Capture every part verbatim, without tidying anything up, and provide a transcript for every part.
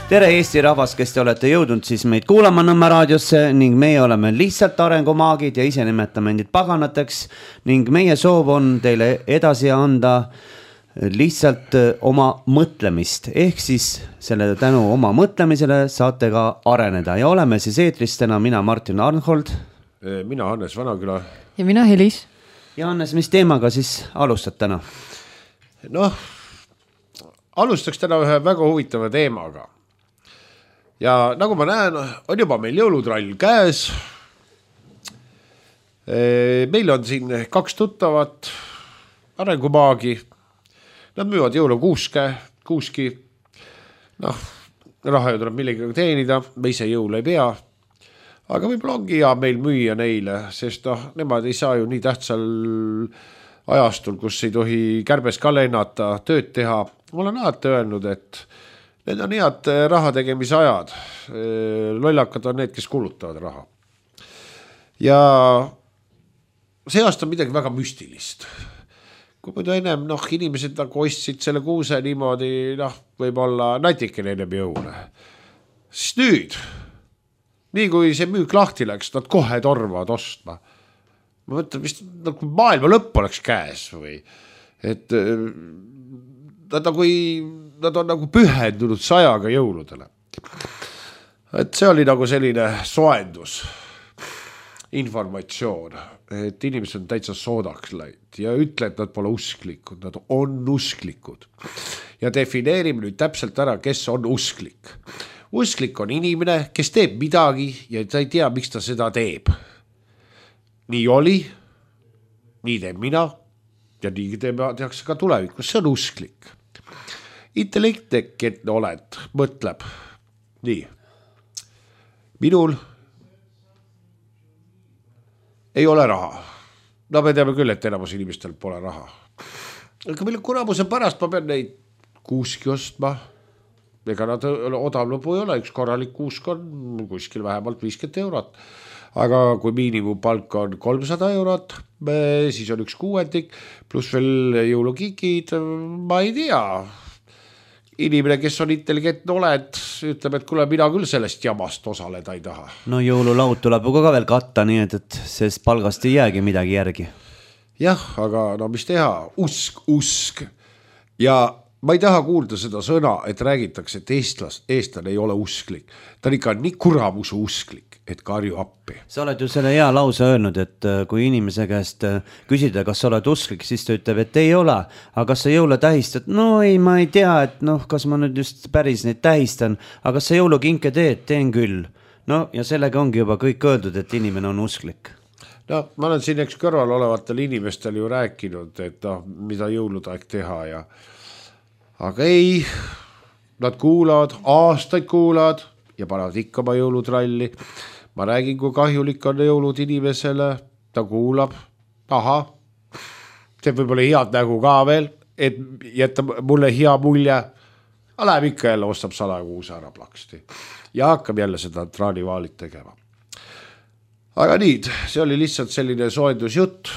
tere Eesti rahvas, kes te olete jõudnud siis meid kuulama Nõmme raadiosse ning meie oleme lihtsalt arengumaagid ja ise nimetame endid paganateks ning meie soov on teile edasi anda lihtsalt oma mõtlemist ehk siis selle tänu oma mõtlemisele saate ka areneda ja oleme siis eetris täna mina Martin Arnhold, mina Hannes Vanaküla ja mina Helis. Ja Hannes, mis teemaga siis alustad täna? Noh, alustaks täna ühe väga huvitava teemaga. Ja nagu ma näen, on juba meil jõulutrall käes. Meil on siin kaks tuttavat arengumaagi. Nad müüvad jõulukuuske, kuuski. Noh, raha ju tuleb millegagi teenida, me ise jõulu ei pea. Aga võib-olla ongi hea meil müüa neile, sest noh, nemad ei saa ju nii tähtsal ajastul, kus ei tohi kärbes ka lennata, tööd teha. Ma olen alati öelnud, et need on head raha tegemise ajad. Lollakad on need, kes kulutavad raha. Ja see aasta on midagi väga müstilist. Kui muidu ennem noh, inimesed nagu ostsid selle kuuse niimoodi, noh, võib-olla natikene ennem jõule. Siis nüüd, nii kui see müük lahti läks, nad kohe torvavad ostma. Ma mõtlen, vist nagu maailma lõpp oleks käes või et nad, nagu ei, nad on nagu pühendunud sajaga jõuludele. Et see oli nagu selline soendus, informatsioon, et inimesed on täitsa soodaks läinud ja ütle, et nad pole usklikud, nad on usklikud. Ja defineerime nüüd täpselt ära, kes on usklik. Usklik on inimene, kes teeb midagi ja ta ei tea, miks ta seda teeb. Nii oli, nii teeb mina ja nii tehakse ka tulevikus, see on usklik. Intellekteketne oled, mõtleb, nii, minul ei ole raha. No me teame küll, et enamus inimestel pole raha. Aga mille kuramuse pärast ma pean neid kuuski ostma. Ega nad odav lõbu ei ole, üks korralik kuusk on kuskil vähemalt viiskümmend eurot. Aga kui miinimumpalk on kolmsada eurot, siis on üks kuuendik, pluss veel jõulukikid, ma ei tea. Inimene, kes on intelligentne oled, ütleb, et kuule, mina küll sellest jamast osaleda ei taha. No jõululaud tuleb ka veel katta, nii et, et sest palgast ei jäägi midagi järgi. Jah, aga no mis teha? Usk, usk. Ja ma ei taha kuulda seda sõna, et räägitakse, et eestlas, eestlane ei ole usklik. Ta on ikka nii kuramusu usklik, et karju appi. Sa oled ju selle hea lause öelnud, et kui inimese käest küsida, kas sa oled usklik, siis ta ütleb, et ei ole. Aga kas sa jõule tähistad? No ei, ma ei tea, et noh, kas ma nüüd just päris neid tähistan, aga kas sa jõulukinke teed? Teen küll. No ja sellega ongi juba kõik öeldud, et inimene on usklik. No, ma olen siin eks kõrval olevatel inimestel ju rääkinud, et noh, mida jõulutaeg teha ja aga ei, nad kuulavad, aastaid kuulavad ja panevad ikka oma jõulutralli. Ma räägin, kui kahjulik on jõulud inimesele, ta kuulab, aha, see võib-olla head nägu ka veel, et jätta mulle hea mulje, aga läheb ikka jälle, ostab sada kuuse ära plaksti ja hakkab jälle seda traanivaalit tegema. Aga nii, see oli lihtsalt selline soendusjutt.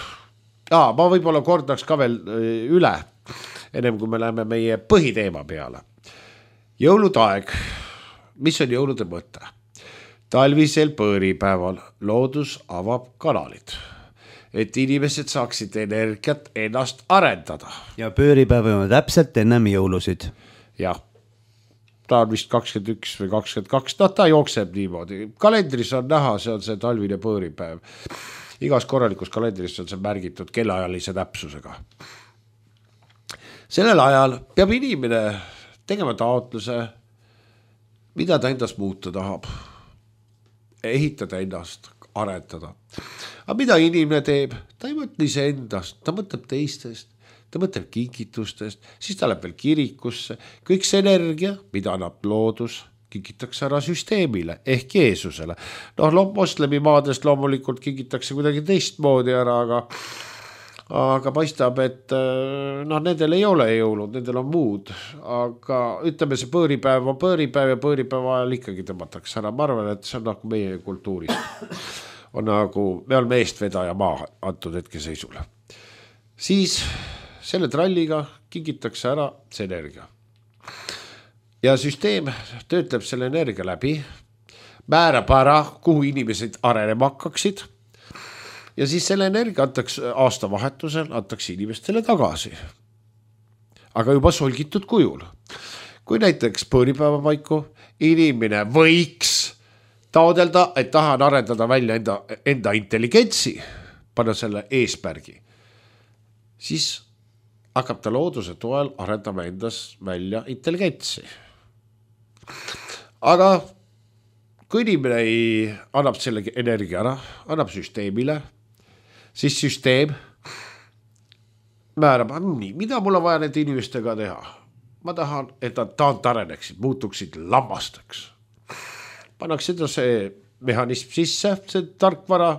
Aa, ma võib-olla kordaks ka veel üle, ennem kui me läheme meie põhiteema peale. Jõulutaeg. Mis on jõulude mõte? Talvisel põõripäeval loodus avab kanalid, et inimesed saaksid energiat ennast arendada. Ja pööripäev on täpselt ennem jõulusid. Jah, ta on vist kakskümmend üks või kakskümmend kaks, no ta jookseb niimoodi. Kalendris on näha, see on see talvine põõripäev. Igas korralikus kalendris on see märgitud kellaajalise täpsusega. Sellel ajal peab inimene tegema taotluse, mida ta endast muuta tahab. Ehitada ennast, arendada. Aga mida inimene teeb? Ta ei mõtle ise endast, ta mõtleb teistest, ta mõtleb kingitustest, siis ta läheb veel kirikusse. Kõik see energia, mida annab loodus, kingitakse ära süsteemile ehk Jeesusele. Noh, moslemi maadest loomulikult kingitakse kuidagi teistmoodi ära, aga aga paistab, et noh, nendel ei ole jõulud, nendel on muud, aga ütleme, see põõripäev on põõripäev ja põõripäeva ajal ikkagi tõmmatakse ära. Ma arvan, et see on nagu meie kultuurist. On nagu, me oleme eestvedaja maa antud hetke seisule. Siis selle tralliga kingitakse ära see energia. ja süsteem töötleb selle energia läbi, määrab ära, kuhu inimesed arenema hakkaksid ja siis selle energia antakse aastavahetusel, antakse inimestele tagasi. Aga juba solgitud kujul. Kui näiteks põõripäeva paiku inimene võiks taodelda, et tahan arendada välja enda, enda intelligentsi, panna selle eesmärgi, siis hakkab ta looduse toel arendama endas välja intelligentsi. Aga kui inimene ei annab selle energia ära, annab süsteemile, siis süsteem määrab, nii, mida mul on vaja nende inimestega teha. Ma tahan, et nad taant areneksid, muutuksid lammasteks. Pannakse see mehhanism sisse, see tarkvara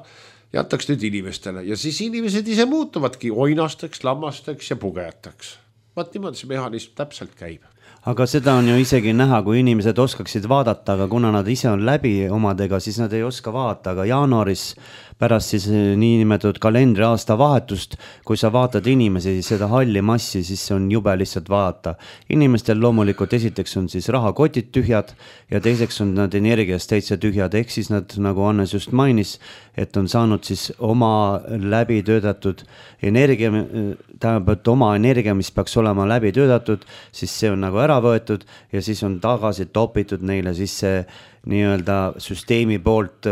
ja antaks nüüd inimestele ja siis inimesed ise muutuvadki oinasteks, lammasteks ja pugejateks. Vaat niimoodi see mehhanism täpselt käib. Aga seda on ju isegi näha, kui inimesed oskaksid vaadata, aga kuna nad ise on läbi omadega, siis nad ei oska vaadata, aga jaanuaris pärast siis niinimetatud kalendri aasta vahetust, kui sa vaatad inimesi, seda halli massi, siis on jube lihtsalt vaadata. Inimestel loomulikult esiteks on siis rahakotid tühjad ja teiseks on nad energiast täitsa tühjad, ehk siis nad, nagu Hannes just mainis, et on saanud siis oma läbi töötatud energia, tähendab, oma energia, mis peaks olema läbi töötatud, siis see on nagu ära võetud ja siis on tagasi topitud neile siis see nii-öelda süsteemi poolt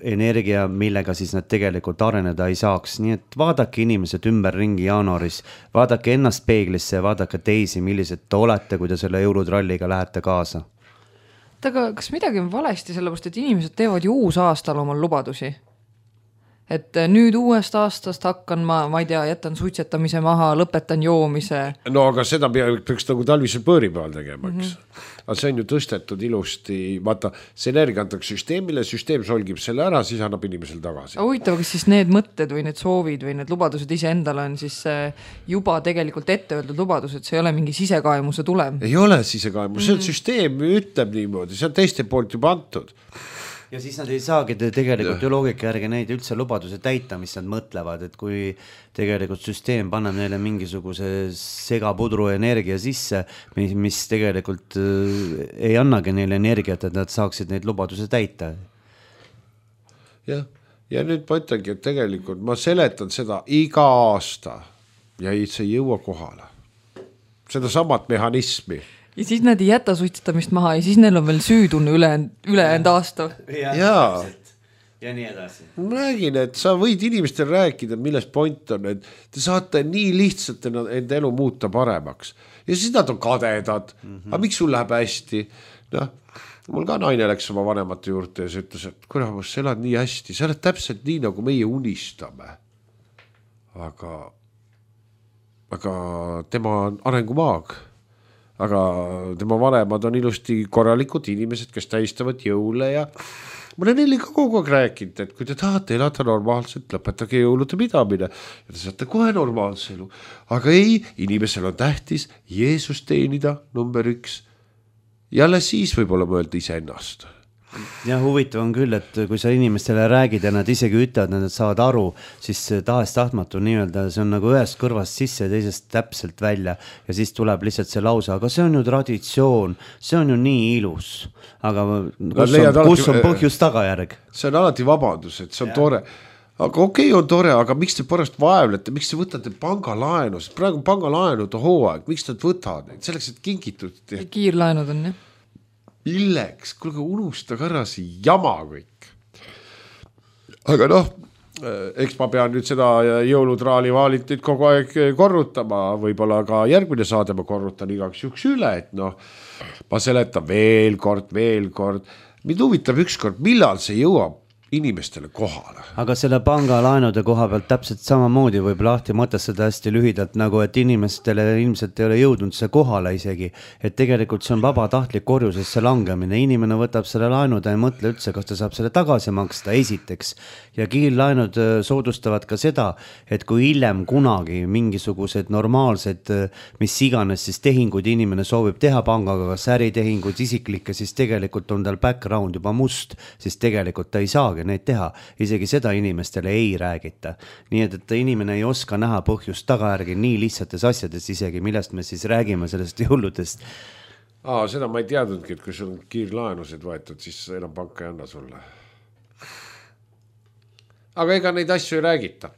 energia, millega siis nad tegelikult areneda ei saaks. Nii et vaadake inimesed ümber ringi jaanuaris, vaadake ennast peeglisse ja vaadake teisi, millised te olete, kui te selle jõulutralliga lähete kaasa. Aga kas midagi on valesti, sellepärast, et inimesed teevad ju uus aastal omal lubadusi? Et nüüd uuest aastast hakkan ma, ma ei tea, jätan suitsetamise maha, lõpetan joomise. No aga seda peaks nagu talvisel põõripäeval tegemaks. Mm-hmm. Aga see on ju tõstetud ilusti, vaata, see energia antakse süsteemile, süsteem solgib selle ära, siis annab inimesel tagasi. Huvitav, kas siis need mõtted või need soovid või need lubadused ise endale on siis juba tegelikult ette öeldud lubadused, see ei ole mingi sisekaemuse tulem? Ei ole sisekaemus, see on mm-hmm. süsteem ütleb niimoodi, see on teiste poolt juba antud. Ja siis nad ei saagi tegelikult ju loogika järgi neid üldse lubaduse täita, mis nad mõtlevad, et kui tegelikult süsteem paneb neile mingisuguse segapudru energia sisse, mis, mis tegelikult ei annagi neile energiat, et nad saaksid neid lubaduse täita. Ja, ja nüüd ma ütlengi, et tegelikult ma seletan seda iga aasta ja ei, see ei jõua kohale. Seda samat mehhanismi. Ja siis nad ei jäta suitsetamist maha ja siis neil on veel süütunne üle, ülejäänud aasta. Ja, ja. ja nii edasi. Ma räägin, et sa võid inimestel rääkida, milles point on, et te saate nii lihtsalt enda elu muuta paremaks. Ja siis nad on kadedad. Mm-hmm. Aga miks sul läheb hästi? No, mul ka naine läks oma vanemate juurde ja see ütles, et kuramus, sa elad nii hästi. Sa oled täpselt nii, nagu meie unistame. Aga, aga tema on arengumaag. Aga tema vanemad on ilusti korralikud inimesed, kes tähistavad jõule ja ma olen neile ka kogu aeg rääkinud, et kui te tahate elada normaalselt, lõpetage jõulude pidamine ja te saate kohe normaalse elu. Aga ei, inimesel on tähtis Jeesus teenida number üks ja alles siis võib-olla mõelda ise ennast. Ja huvitav on küll, et kui sa inimestele räägid ja nad isegi ütlevad, nad saavad aru, siis tahes tahtmatu nii-öelda, see on nagu ühest kõrvast sisse ja teisest täpselt välja ja siis tuleb lihtsalt see lause, aga see on ju traditsioon, see on ju nii ilus, aga kus on, kus on põhjus tagajärg? See on alati vabandus, et see on ja. Tore. Aga okei okay, on tore, aga miks te pärast vaevlete, miks te võtate pangalaenu, praegu pangalaenu to hooaeg, miks te võtad neid, selleks, et kingitud. Kiirlaenud on, jah. Illeks, kuulge, unustage ära see jama kõik. Aga noh, eks ma pean nüüd seda jõulutraali vaalit nüüd kogu aeg korrutama, võib-olla ka järgmine saade ma korrutan igaks juks üle, et noh, ma seletan veel kord, veel kord. Mind huvitab ükskord, millal see jõuab inimestele kohale. Aga selle pangalaenude koha pealt täpselt samamoodi võib lahti mõtestada hästi lühidalt, nagu et inimestele ilmselt ei ole jõudnud see kohale isegi, et tegelikult see on vabatahtlik korjusesse langemine. Inimene võtab selle laenude ja ei mõtle üldse, kas ta saab selle tagasi maksta esiteks. Ja kiirlaenud soodustavad ka seda, et kui hiljem kunagi mingisugused normaalsed, mis iganes siis tehinguid inimene soovib teha pangaga, kas äritehingud isiklikke, siis tegelikult on tal background juba must, siis tegelikult ta ei saagi neid teha. Isegi seda inimestele ei räägita. Nii et, et inimene ei oska näha põhjust tagajärgi nii lihtsates asjades isegi, millest me siis räägime sellest jõuludest. Aa, seda ma ei teadnudki, et kui sul on kiirlaenused võetud, siis enam panka ei anna sulle. Aga ega neid asju ei räägita.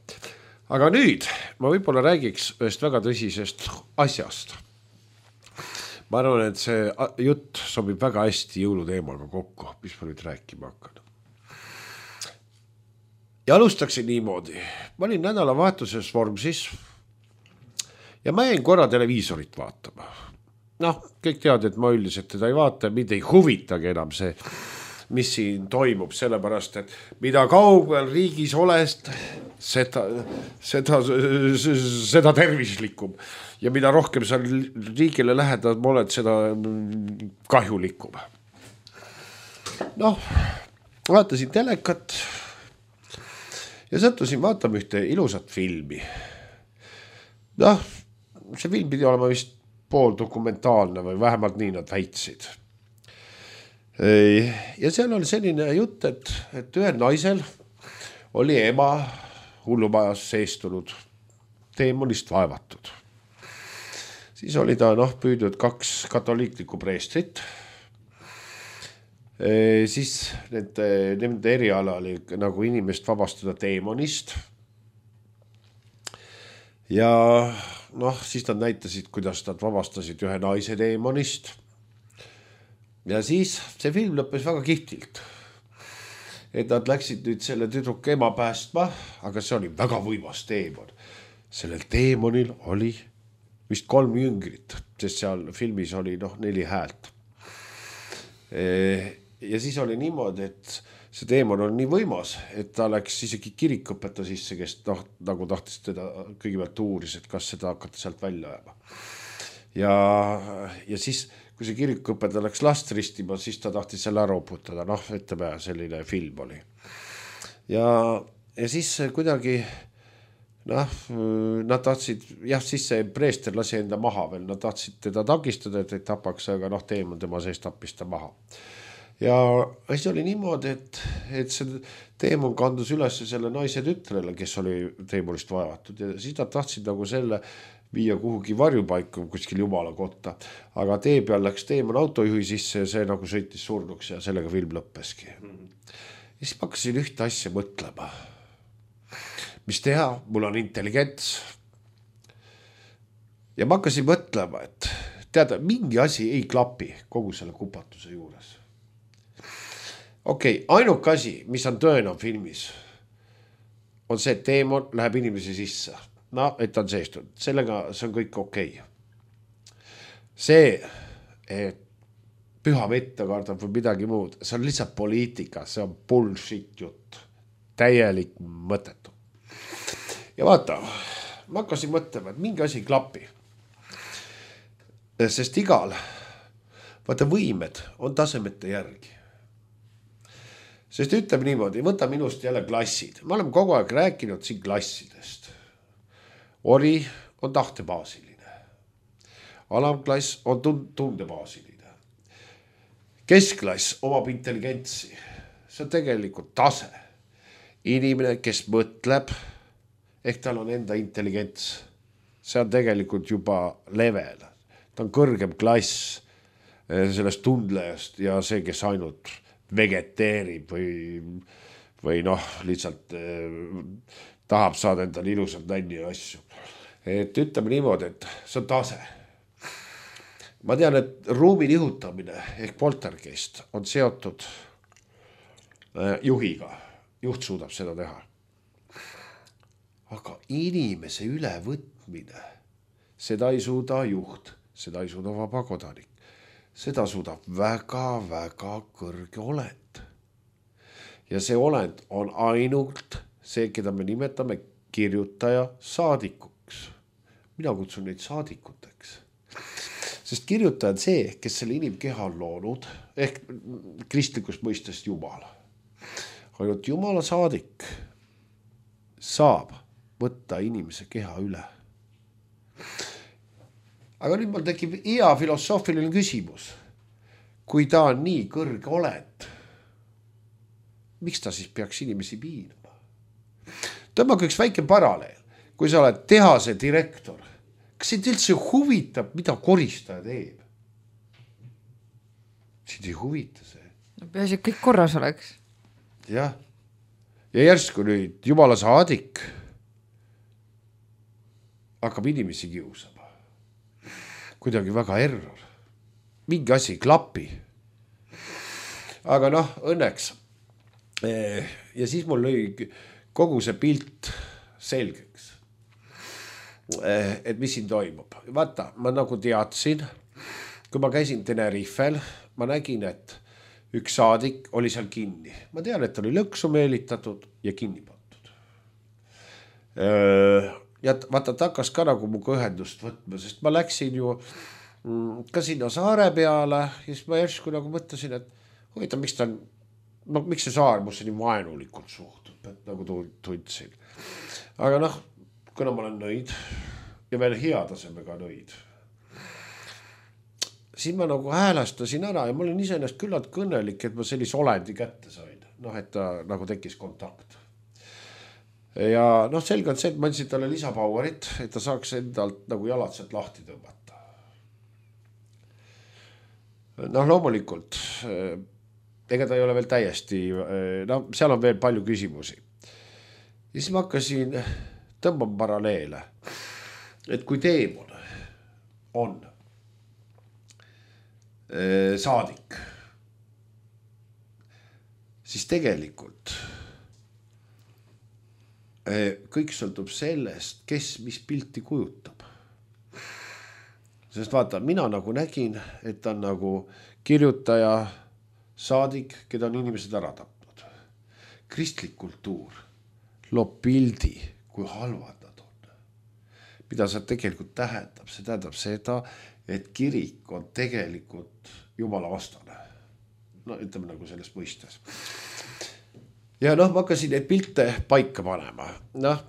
Aga nüüd ma võib-olla räägiks ühest väga tõsisest asjast. Ma arvan, et see jutt sobib väga hästi jõuluteemaga kokku, mis ma nüüd rääkima hakkan. Ja alustaksin niimoodi. Ma olin nädalavahetuses Vormsis ja ma jäin korra televiisorit vaatama. Noh, kõik teavad, et ma üldiselt teda ei vaata, mind ei huvitagi enam see, mis siin toimub, sellepärast, et mida kaugel riigis olest, seda, seda, seda tervislikum. Ja mida rohkem sa riigile lähedal oled, seda kahjulikum. Noh, vaatasin telekat ja sattusin vaatama ühte ilusat filmi. Noh, see film pidi olema vist pool dokumentaalne või vähemalt nii nad väitsid. Ja seal oli selline jutt, et, et ühel naisel oli ema hullumajas seestunud, teemonist vaevatud. Siis oli ta noh, püüdnud kaks katoliiklikku preestrit. E, siis nende, nende eriala oli nagu inimest vabastada teemonist. Ja noh, siis nad näitasid, kuidas nad vabastasid ühe naise teemonist. Ja siis see film lõppes väga kihvtilt. Et nad läksid nüüd selle tüdruku ema päästma, aga see oli väga võimas teemon. Sellel teemonil oli vist kolm jüngrit, sest seal filmis oli noh, neli häält. Ja siis oli niimoodi, et see teemon on nii võimas, et ta läks isegi kirikõpeta sisse, kes noh, nagu tahtis teda kõigepealt uuris, et kas seda hakata sealt välja ajama. Ja, ja siis, kui see kirikõpeta läks last ristima, siis ta tahtis selle ära uputada. Noh, ütleme, selline film oli. Ja, ja siis kuidagi, noh, nad tahtsid, jah, siis see preester lasi enda maha veel, nad tahtsid teda takistada, et ei tapaks, aga noh, teemon tema sees tappis ta maha. Ja asi oli niimoodi, et, et see teemon kandus üles selle naise tütrele, kes oli teemonist vaevatud ja siis nad tahtsid nagu selle viia kuhugi varjupaiku kuskil jumala kotta, aga tee peal läks teemon autojuhi sisse ja see nagu sõitis surnuks ja sellega film lõppeski. Ja siis ma hakkasin ühte asja mõtlema. Mis teha? Mul on intelligents. Ja ma hakkasin mõtlema, et teada, mingi asi ei klapi kogu selle kupatuse juures. Okei, okay, ainuke asi, mis on tõena filmis, on see, et teemon läheb inimesi sisse. No, et ta on seestunud. Sellega see on kõik okei. Okay. See, et püha vette kardab või midagi muud, see on lihtsalt poliitika, see on bullshit jutt. Täielik mõttetu. Ja vaata, ma hakkasin mõtlema, et mingi asi klapi. Sest igal, vaata võimed on tasemete järgi. Sest ütleme niimoodi, võta minust jälle klassid. Ma olen kogu aeg rääkinud siin klassidest. Ori on tahtebaasiline. Alamklass on tundebaasiline. Keskklass omab intelligentsi. See on tegelikult tase. Inimene, kes mõtleb, ehk tal on enda intelligents. See on tegelikult juba level. Ta on kõrgem klass sellest tundlejast ja see, kes ainult vegeteerib või, või noh, lihtsalt eh, tahab saada endale ilusat nänni ja asju. Et ütleme niimoodi, et see on tase. Ma tean, et ruumi nihutamine ehk poltergeist on seotud eh, juhiga. Juht suudab seda teha. Aga inimese ülevõtmine, seda ei suuda juht, seda ei suuda vaba kodanik. Seda suudab väga-väga kõrge olend. Ja see olend on ainult see, keda me nimetame kirjutaja saadikuks. Mina kutsun neid saadikuteks. Sest kirjutaja on see, kes selle inimkeha on loonud, ehk kristlikust mõistest Jumal. Ainult Jumala saadik saab võtta inimese keha üle. Aga nüüd mul tekib hea filosoofiline küsimus. Kui ta on nii kõrge olend, miks ta siis peaks inimesi piinama? Tõmmake üks väike paralleel. Kui sa oled tehase direktor, kas sind üldse huvitab, mida koristaja teeb? sind ei huvita see. No peaasi, et kõik korras oleks. Jah. Ja järsku nüüd jumala saadik hakkab inimesi kiusama. Kuidagi väga error. Mingi asi ei klapi. Aga noh, õnneks. Ja siis mul lõi kogu see pilt selgeks. Et mis siin toimub. Vaata, ma nagu teadsin, kui ma käisin Tenerifel, ma nägin, et üks saadik oli seal kinni. Ma tean, et oli lõksu meelitatud ja kinni pandud. Ja vaata, ta hakkas ka nagu muga ühendust võtma, sest ma läksin ju ka sinna saare peale ja siis ma järsku nagu mõtlesin, et huvitav, miks ta on, no, miks see saar musse nii vaenulikult suhtub, et nagu tundsin. Aga noh, kuna ma olen nõid ja veel hea tasemega nõid, siis ma nagu häälastasin ära ja ma olin iseennast küllalt kõnelik, et ma sellise olendi kätte sain. Noh, et ta nagu tekkis kontakt. Ja noh, selge on see, et ma andsin talle lisapauerit, et ta saaks endalt nagu jalad sealt lahti tõmmata. Noh, loomulikult, ega ta ei ole veel täiesti, no seal on veel palju küsimusi. Ja siis ma hakkasin tõmbama paralleele, et kui teemon on saadik, siis tegelikult kõik sõltub sellest, kes mis pilti kujutab. Sest vaata, mina nagu nägin, et ta on nagu kirjutaja, saadik, keda on inimesed ära tapnud. Kristlik kultuur loob pildi, kui halvad nad on. Mida see tegelikult tähendab? See tähendab seda, et kirik on tegelikult jumala vastane. No ütleme nagu selles mõistes. Ja noh, ma hakkasin neid pilte paika panema. Noh,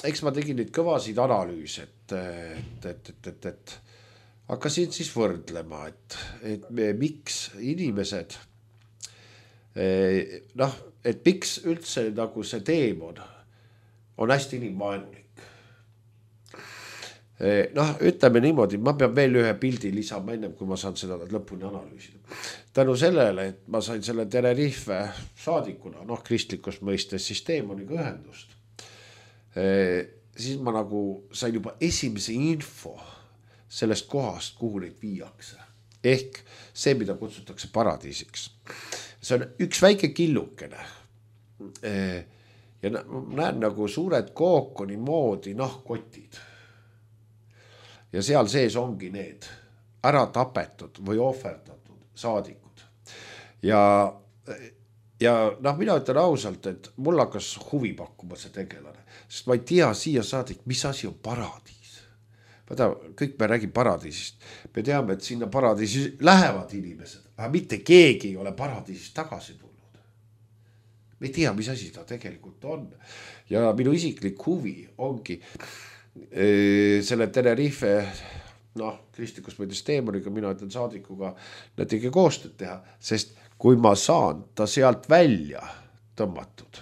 eks ma tegin neid kõvasid analüüse, et, et, et, et, et, et hakkasin siis võrdlema, et, et me, miks inimesed, noh, et miks üldse nagu see teemon on hästi inimvaenulik. Noh, ütleme niimoodi, ma pean veel ühe pildi lisama ennem, kui ma saan seda lõpuni analüüsida. Tänu sellele, et ma sain selle Tenerife saadikuna, noh, kristlikus mõistes, siis teemoniga ühendust. Siis ma nagu sain juba esimese info sellest kohast, kuhu neid viiakse. Ehk see, mida kutsutakse paradiisiks. See on üks väike killukene. Ja näen nagu suured kookoni moodi nahkkotid. Ja seal sees ongi need ära tapetud või ohverdatud saadikud. Ja, ja noh, mina ütlen ausalt, et mul hakkas huvi pakkuma see tegelane. Sest ma ei tea siia saadik, mis asi on paradiis. Vaata, kõik me räägime paradiisist. Me teame, et sinna paradiisi lähevad inimesed, aga mitte keegi ei ole paradiisist tagasi tulnud. Me ei tea, mis asi ta tegelikult on. Ja minu isiklik huvi ongi e, selle Tenerife, noh, kristlikus mõttes teemoniga, mina ütlen saadikuga, nad tegi koostööd teha, sest kui ma saan ta sealt välja tõmmatud,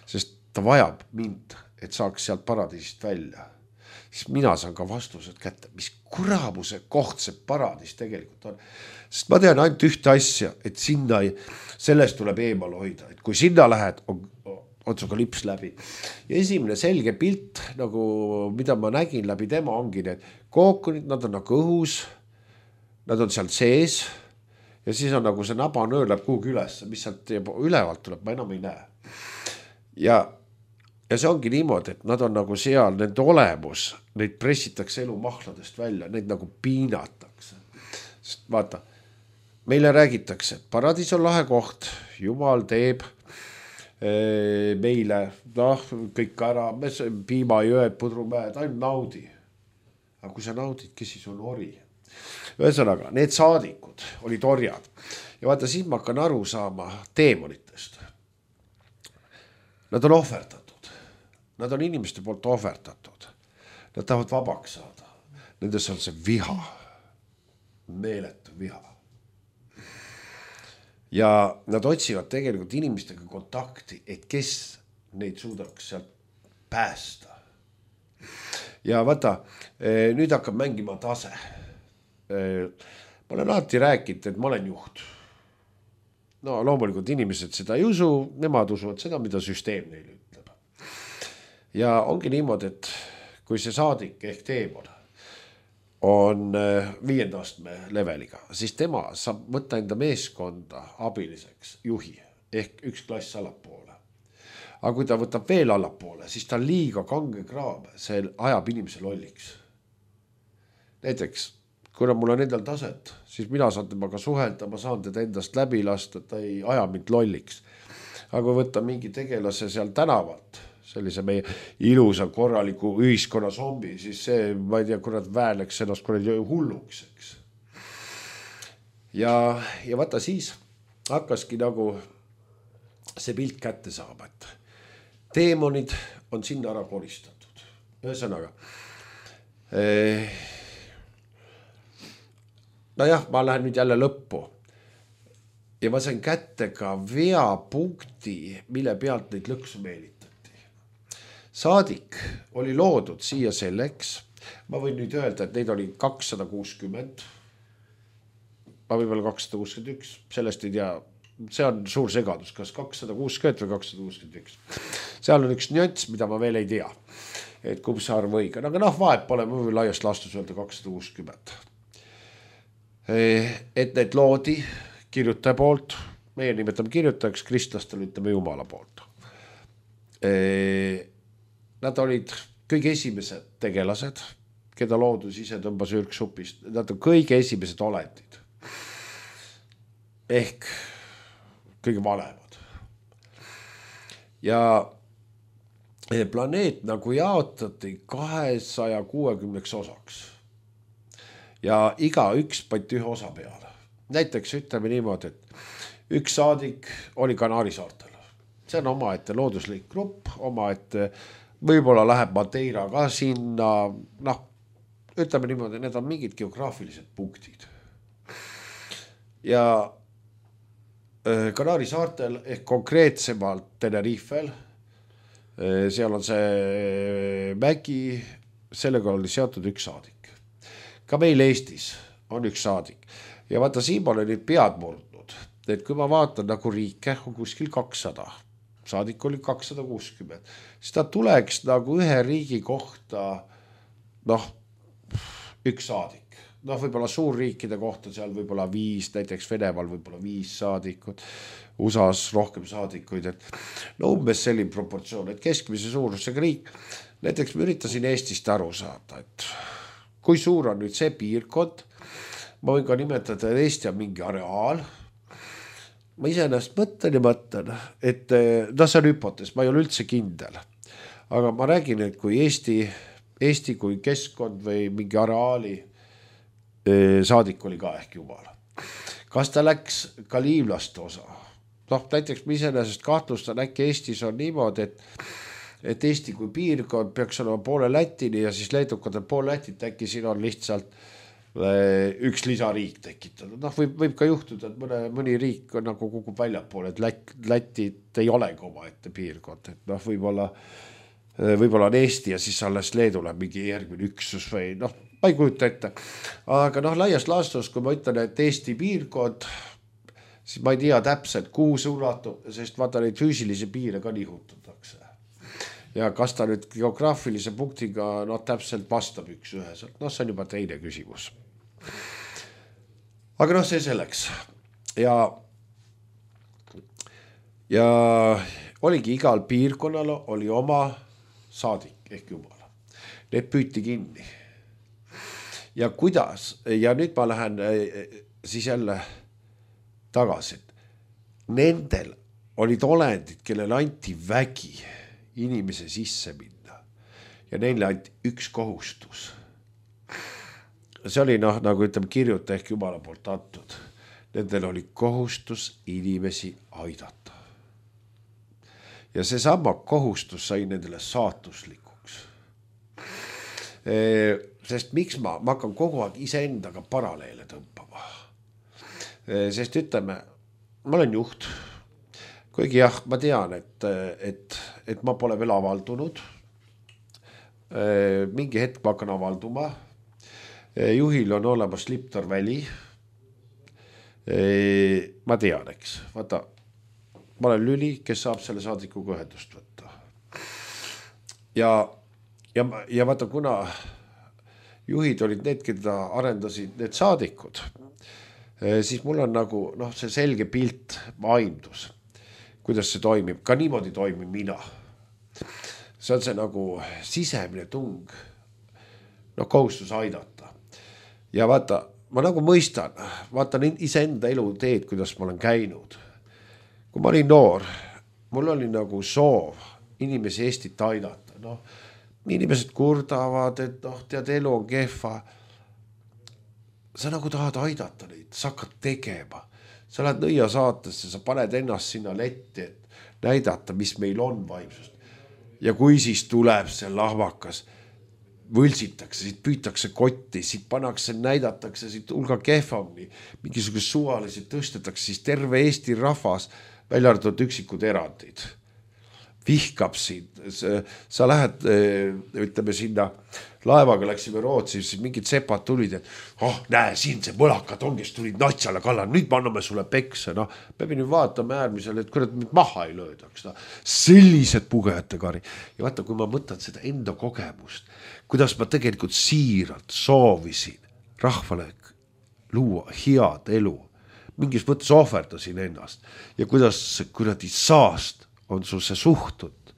sest ta vajab mind, et saaks sealt paradiisist välja, siis mina saan ka vastused kätte, mis kuramuse koht see paradiis tegelikult on. Sest ma tean ainult ühte asja, et sinna ei, sellest tuleb eemal hoida, et kui sinna lähed, on, on suga lips läbi. Ja esimene selge pilt, nagu mida ma nägin läbi tema, ongi need kookonid, nad on nagu õhus, nad on seal sees ja siis on nagu see nabanöör läheb kuhugi üles, mis sealt ülevalt tuleb, ma enam ei näe. Ja Ja see ongi niimoodi, et nad on nagu seal, nende olemus, neid pressitakse elu mahladest välja, neid nagu piinatakse. Sest vaata, meile räägitakse, et paradiis on lahe koht, Jumal teeb e, meile, noh, kõik ära, piimajõed, pudrumäed, ainult naudi. Aga kui sa naudid, kes siis on ori? Ühesõnaga, need saadikud olid orjad. Ja vaata, siin ma hakkan aru saama teemonitest. Nad on ohverdatud. Nad on inimeste poolt ohverdatud. Nad tahavad vabaks saada. Nendes on see viha. Meeletu viha. Ja nad otsivad tegelikult inimestega kontakti, et kes neid suudaks sealt päästa. Ja vaata, nüüd hakkab mängima tase. Ma olen alati rääkinud, et ma olen juht. no loomulikult inimesed seda ei usu, nemad usuvad seda, mida süsteem neile ütleb. Ja ongi niimoodi, et kui see saadik ehk teemon on viienda astme leveliga, siis tema saab võtta enda meeskonda abiliseks juhi ehk üks klass allapoole. Aga kui ta võtab veel allapoole, siis ta on liiga kange kraam, see ajab inimese lolliks. Näiteks, kuna mul on endal taset, siis mina saan temaga suhelda, ma saan teda endast läbi lasta, ta ei aja mind lolliks. Aga kui võtta mingi tegelase seal tänavalt, sellise meie ilusa korraliku ühiskonna zombi, siis see, ma ei tea, kurat vääleks ennast kurat hulluks, eks. Ja, ja vaata siis hakkaski nagu see pilt kätte saama, et teemonid on sinna ära koristatud. Ühesõnaga, eh, no jah, ma lähen nüüd jälle lõppu ja ma sain kätte ka veapunkti, mille pealt neid lõksu meelitati. Saadik oli loodud siia selleks, ma võin nüüd öelda, et neid oli kakssada kuuskümmend, ma võib-olla kakssada kuuskümmend üks, sellest ei tea, see on suur segadus, kas kakssada kuuskümmend või kakssada kuuskümmend üks. Seal on üks nüanss, mida ma veel ei tea, et kumb see arv õige, aga noh, vahet pole, ma võin laiast laastus öelda kakssada kuuskümmend. Et need loodi kirjutaja poolt, meie nimetame kirjutajaks, kristlastel ütleme Jumala poolt. Nad olid kõige esimesed tegelased, keda loodus ise tõmbas ürksupist. Nad on kõige esimesed olendid. Ehk kõige vanemad. Ja planeet nagu jaotati kahesaja kuuekümneks osaks. Ja iga üks pandi ühe osa peale. Näiteks ütleme niimoodi, et üks saadik oli Kanaari saartel. See on oma ette looduslik grupp, oma ette võib-olla läheb Madeira ka sinna, noh, ütleme niimoodi, need on mingid geograafilised punktid. Ja Kanaari saartel ehk konkreetsemalt Tenerifel, seal on see mägi, sellega oli seotud üks saadik. Ka meil Eestis on üks saadik. Ja vaata, siin ma olen nüüd pead murdnud, et kui ma vaatan nagu riike, on kuskil kakssada. Saadik oli kakssada kuuskümmend. Siis ta tuleks nagu ühe riigi kohta, noh, üks saadik. Noh, võib-olla suurriikide kohta seal võib-olla viis, näiteks Venemaal võib-olla viis saadikud, U S A-s rohkem saadikuid. Et no umbes selline proportsioon, et keskmise suurusega riik. Näiteks ma üritasin Eestist aru saada, et kui suur on nüüd see piirkond, ma võin ka nimetada, et Eesti on mingi areaal. Ma iseennast mõtlen ja mõtlen, et no see on hüpotees, ma ei ole üldse kindel. Aga ma räägin, et kui Eesti, Eesti kui keskkond või mingi areaali saadik oli ka ehk Jumala. Kas ta läks ka liivlaste osa? Noh, näiteks ma iseennast kahtlustan, äkki Eestis on niimoodi, et, et Eesti kui piirkond peaks olema poole Lätini ja siis leedukad on poole Lätit, äkki siin on lihtsalt üks lisariik tekitatud. Noh, võib, võib ka juhtuda, et mõne, mõni riik on nagu kukub väljapoole, et Lät, Lätit ei olegi oma ette piirkond. Et noh, võib-olla, võib-olla on Eesti ja siis alles Leedule mingi järgmine üksus või noh, ma ei kujuta ette. Aga noh, laias laastus, kui ma ütlen, et Eesti piirkond, siis ma ei tea täpselt, kuhu see ulatub, sest vaata neid füüsilisi piire ka nihutatakse. Ja kas ta nüüd geograafilise punktiga no, täpselt vastab üks üheselt, noh, see on juba teine küsimus. Aga noh, see selleks. Ja, ja oligi igal piirkonnal oli oma saadik ehk Jumala. Need püüti kinni. Ja kuidas, ja nüüd ma lähen siis jälle tagasi. Nendel olid olendid, kellel anti vägi inimese sisse minna ja neile anti üks kohustus. See oli noh, nagu ütleme kirjuta ehk Jumala poolt antud. Nendel oli kohustus inimesi aidata. Ja see sama kohustus sai nendele saatuslikuks. Sest miks ma, ma hakkan kogu aeg iseendaga paralleele tõmbama. Sest ütleme, ma olen juht. Kuigi jah, ma tean, et, et, et ma pole veel avaldunud. Mingi hetk ma hakkan avalduma. Juhil on olemas Liptor väli. ma tean, eks, vaata, ma olen Lüli, kes saab selle saadikuga ühendust võtta. Ja, ja, ja vaata, kuna juhid olid need, keda arendasid need saadikud, siis mul on nagu noh, see selge pilt, aimdus, kuidas see toimib, ka niimoodi toimib mina. See on see nagu sisemine tung, noh, kohustus aidata. Ja vaata, ma nagu mõistan, vaatan iseenda elu teed, kuidas ma olen käinud. Kui ma olin noor, mul oli nagu soov inimesi Eestit aidata. Noh, inimesed kurdavad, et noh, tead, elu on kehva. Sa nagu tahad aidata neid, sa hakkad tegema. Sa lähed nõia saatesse, sa paned ennast sinna letti, et näidata, mis meil on vaimsust. Ja kui siis tuleb see lahvakas, võlsitakse, siit püütakse kotti, siit pannakse, näidatakse siit hulga kehvamni, mingisugune suvalisi tõstetakse, siis terve Eesti rahvas, välja arvatud üksikud erandid, vihkab sind. Sa lähed, ütleme sinna, laevaga läksime Rootsi, siis mingid sepad tulid, et oh, näe, siin see mõlakad on, kes tulid natsale kallal, nüüd me anname sulle pekse. No, me pidime vaatama äärmisel, et kurat mind maha ei löödaks. No. Sellised pugejate kari. Ja vaata, kui ma mõtlen seda enda kogemust, kuidas ma tegelikult siiralt soovisin rahvale luua head elu, mingis mõttes ohverdasin ennast ja kuidas kuradi saast on sul see suhtud.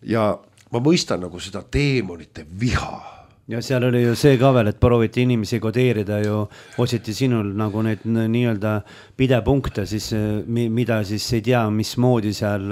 Ja ma mõistan nagu seda teemonite viha. Ja seal oli ju see ka veel, et prooviti inimesi kodeerida ju, otsiti sinul nagu neid nii-öelda pidepunkte, siis, mida siis ei tea, mismoodi seal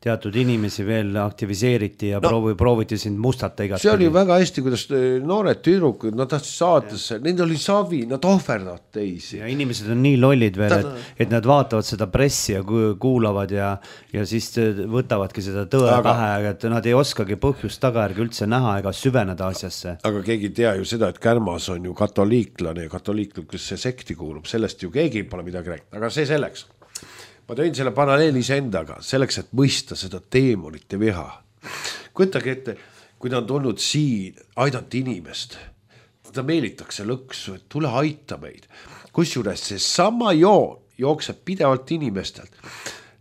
teatud inimesi veel aktiviseeriti ja no, proovi, prooviti sind mustata igat. See oli väga hästi, kuidas noored tüdrukud, nad tahtsid saatesse, need oli savi, nad ohverdavad teisi. Ja inimesed on nii lollid veel, et, et nad vaatavad seda pressi ja kuulavad ja, ja siis võtavadki seda tõe aga, pähe, et nad ei oskagi põhjust tagajärgi üldse näha ega süveneda asjasse. Aga keegi tea ju seda, et Kärmas on ju katoliiklane ja katoliiklikusse sekti kuulub, sellest ju keegi pole midagi rääkinud, aga see selleks. Ma tõin selle paralleelis endaga, selleks, et mõista seda teemonite viha. Kujutage ette, kui ta on tulnud siin aidata inimest, ta meelitakse lõksu, et tule aita meid. Kusjuures see sama joon jookseb pidevalt inimestelt.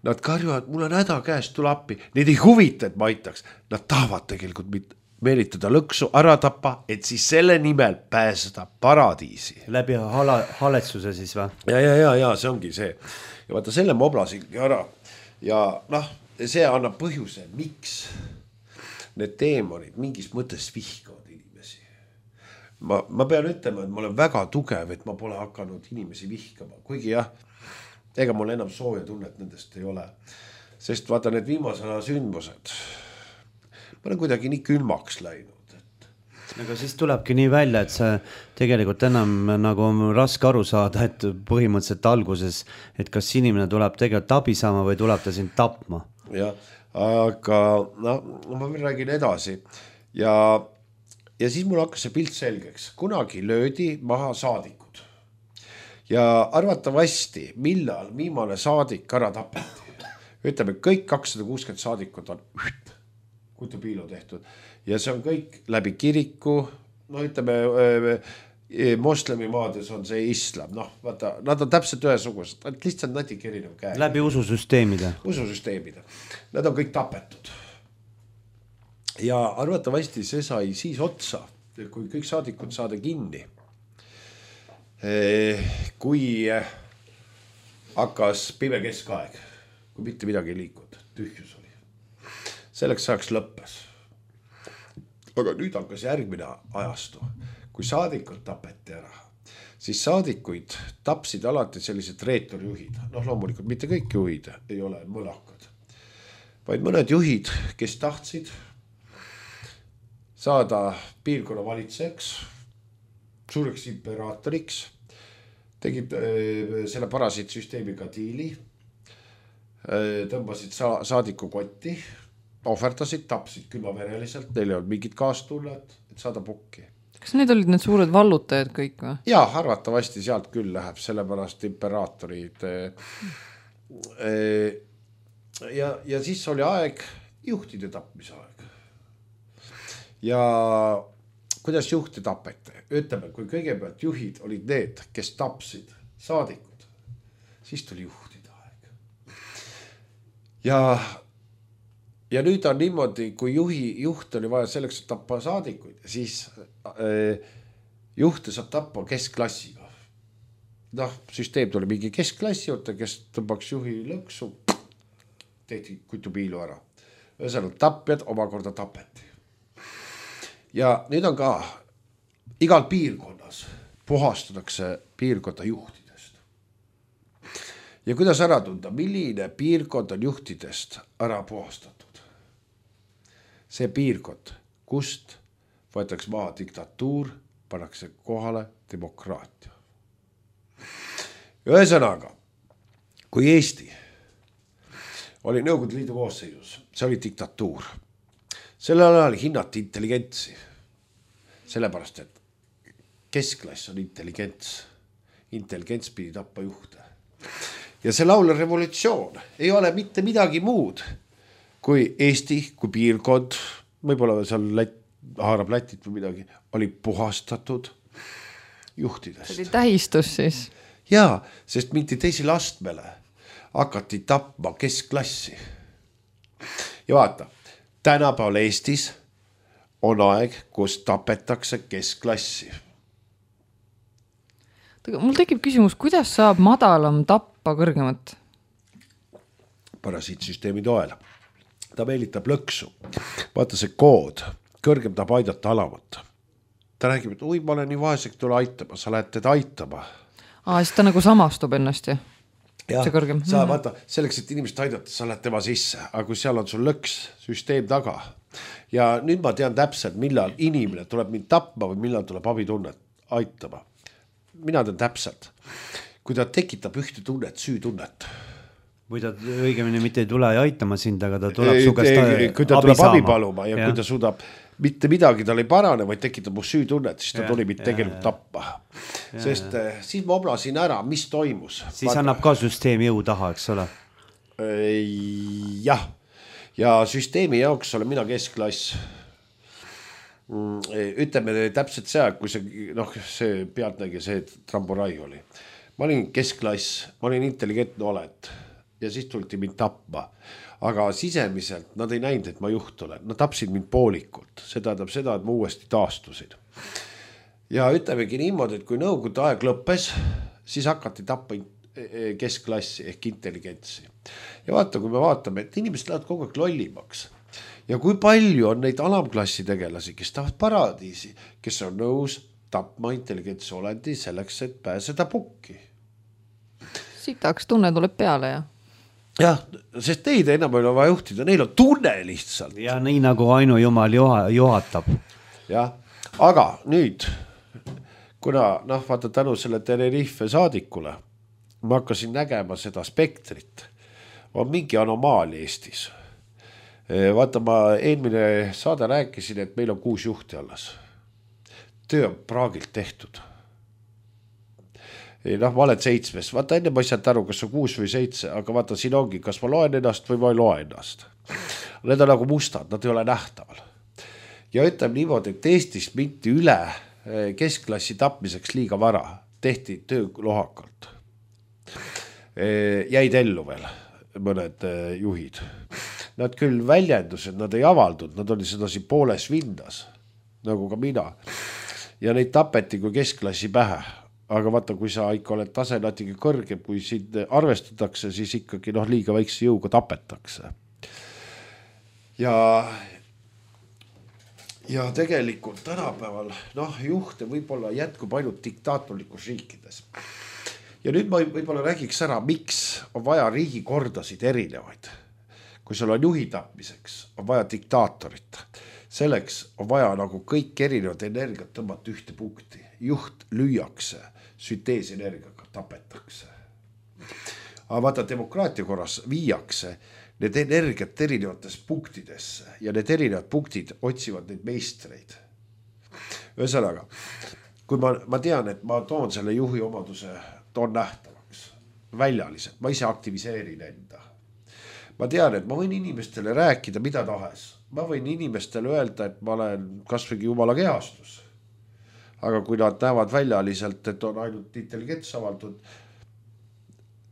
Nad karjuvad, mul on häda käest, tule appi. Neid ei huvita, et ma aitaks. Nad tahavad tegelikult mitte meelitada lõksu, ära tappa, et siis selle nimel pääseda paradiisi. Läbi hala, haletsuse siis või? Ja, ja, ja, ja, see ongi see. Ja vaata, selle ma oblasingi ära. Ja noh, see annab põhjuse, miks need teemonid mingis mõttes vihkavad inimesi. Ma, ma pean ütlema, et ma olen väga tugev, et ma pole hakanud inimesi vihkama. Kuigi jah, ega mul enam sooja tunnet nendest ei ole. Sest vaata, need viimasena sündmused, ma olen kuidagi nii külmaks läinud. Et... Aga siis tulebki nii välja, et see tegelikult enam nagu on raske aru saada, et põhimõtteliselt alguses, et kas inimene tuleb tegelikult abi saama või tuleb ta sind tapma. Ja, aga no, ma räägin edasi. Ja, ja siis mul hakkas see pilt selgeks. Kunagi löödi maha saadikud. Ja arvatavasti, millal viimane saadik ära tapeti. Ütleme, kõik kakssada kuuskümmend saadikud on üht. Kutupiilu tehtud. Ja see on kõik läbi kiriku, no ütleme, moslemi maades on see islam, noh, vaata, nad on täpselt ühesugused, et lihtsalt natuke erinev käe. Läbi ususüsteemide. Ususüsteemide. Nad on kõik tapetud. Ja arvatavasti see sai siis otsa, kui kõik saadikud saada kinni. Kui hakkas pime keskaeg, kui mitte midagi ei liikunud, tühjus oli. Selleks saaks lõppes. Aga nüüd hakkas järgmine ajastu. Kui saadikud tapeti ära, siis saadikuid tapsid alati sellised reetorjuhid. Noh, loomulikult mitte kõik juhid ei ole mõlakad. Vaid mõned juhid, kes tahtsid saada piirkonna valitsejaks, suureks imperaatoriks, tegid selle parasiitsüsteemiga diili, tõmbasid sa- saadiku kotti, ohverdasid, tapsid külmavereliselt, neil ei olnud mingid kaastullet, et saada pukki. Kas need olid need suured vallutajad kõik või? Jaa, arvatavasti sealt küll läheb, sellepärast imperaatorid. Ja, ja siis oli aeg, juhtide tapmise aeg. Ja kuidas juhte tapete? Ütleme, kui kõigepealt juhid olid need, kes tapsid saadikud. Siis tuli juhtida aeg. Ja, ja nüüd on niimoodi, kui juhi, juht oli vaja selleks, et tappa saadikuid, siis äh, juhte saab tappa keskklassiga. Noh, süsteem tuli mingi keskklassi juurde, kes tõmbaks juhi lõksu, tehti kutupiilu ära. Ühesõnaga tapjad omakorda tapeti. Ja nüüd on ka igal piirkonnas puhastatakse piirkonda juhtidest. Ja kuidas ära tunda, milline piirkond on juhtidest ära puhastatud? See piirkond, kust võetakse maha diktatuur, pannakse kohale demokraatia. Ühesõnaga, kui Eesti oli Nõukogude Liidu koosseisus, see oli diktatuur. Sellel ajal hinnati intelligentsi. Sellepärast, et keskklass on intelligents. Intelligents pidi tappa juhte. Ja see laulne revolutsioon ei ole mitte midagi muud kui Eesti, kui piirkond, võib-olla seal Lätt, haarab Lätit või midagi, oli puhastatud juhtidest. See oli tähistus siis. Jaa, sest mindi teisele astmele hakati tapma keskklassi. Ja vaata, tänapäeval Eestis on aeg, kus tapetakse keskklassi. Mul tekib küsimus, kuidas saab madalam tappa kõrgemat? Parasiitsüsteemi toel. Ta meelitab lõksu. Vaata see kood, kõrgem tahab aidata alamat. Ta räägib, et ui, ma olen nii vaeseks, tule aitama, sa lähed teda aitama. Aa, siis ta nagu samastub ennast, jah? Ja, sa vaata, selleks, et inimest aidata, sa lähed tema sisse, aga kui seal on sul lõks, süsteem taga. Ja nüüd ma tean täpselt, millal inimene tuleb mind tapma või millal tuleb abitunnet aitama. Mina tean täpselt, kui ta tekitab ühte tunnet, süütunnet. Või ta õigemini mitte ei tule aitama sind, aga ta tuleb su käest abi, kui ta tuleb abi paluma ja, ja kui ta suudab mitte midagi tal ei parane, vaid tekitab mu süütunnet, siis ta ja, tuli mind tegelikult tappa. Ja, sest ja. Siis ma oblasin ära, mis toimus. Siis vaata, annab ka süsteem jõu taha, eks ole? Jah. Ja süsteemi jaoks olen mina keskklass. Ütleme täpselt see, kui see, noh, see pealtnägi, see tramburai oli. Ma olin keskklass, ma olin intelligentne oled ja siis tulti mind tappa. Aga sisemiselt nad ei näinud, et ma juht olen. Nad tapsid mind poolikult. See tähendab seda, et ma uuesti taastusin. Ja ütlemegi niimoodi, et kui nõukogude aeg lõppes, siis hakati tappa keskklassi ehk intelligentsi. Ja vaata, kui me vaatame, et inimesed lähevad kogu aeg lollimaks. Ja kui palju on neid alamklassi tegelasi, kes tahavad paradiisi, kes on nõus tapma intelligentsi olendi selleks, et pääseda pukki. Sitaks tunne tuleb peale, jah? Jah, sest teid enam ei ole vaja juhtida, neil on tunne lihtsalt. Ja nii nagu ainu jumal juhatab. Jah, aga nüüd, kuna noh, vaata tänu selle Tenerife saadikule, ma hakkasin nägema seda spektrit, on mingi anomaali Eestis. Vaata, ma eelmine saade rääkisin, et meil on kuus juhti alles. Töö on praagilt tehtud. Noh, ma olen seitsmes. Vaata, enne ma ei saanud aru, kas on kuus või seitse, aga vaata, siin ongi, kas ma loen ennast või ma ei loe ennast. Need on nagu mustad, nad ei ole nähtaval. Ja ütleme niimoodi, et Eestis minti üle keskklassi tapmiseks liiga vara. Tehti töö lohakalt. Jäid ellu veel mõned juhid. Nad küll väljendused, nad ei avaldud, nad oli sedasi pooles vindas, nagu ka mina. Ja neid tapeti kui keskklassi pähe. Aga vaata, kui sa ikka oled tase natuke kõrgem, kui sind arvestatakse, siis ikkagi noh, liiga väikse jõuga tapetakse. Ja, ja tegelikult tänapäeval noh, juhte võib-olla jätkub ainult diktaatorlikus riikides. Ja nüüd ma võib-olla räägiks ära, miks on vaja riigikordasid erinevaid. Kui sul on juhi tapmiseks, on vaja diktaatorit. Selleks on vaja nagu kõik erinevad energiat tõmmata ühte punkti. Juht lüüakse, sünteesenergiaga tapetakse. Aga vaata, demokraatia korras viiakse need energiat erinevates punktidesse ja need erinevad punktid otsivad neid meistreid. Ühesõnaga, kui ma, ma tean, et ma toon selle juhi omaduse, toon nähtavaks, väljaliselt, ma ise aktiviseerin enda. Ma tean, et ma võin inimestele rääkida mida tahes. Ma võin inimestele öelda, et ma olen kasvõi jumala kehastus. Aga kui nad näevad väljaliselt, et on ainult intelligents avaldud,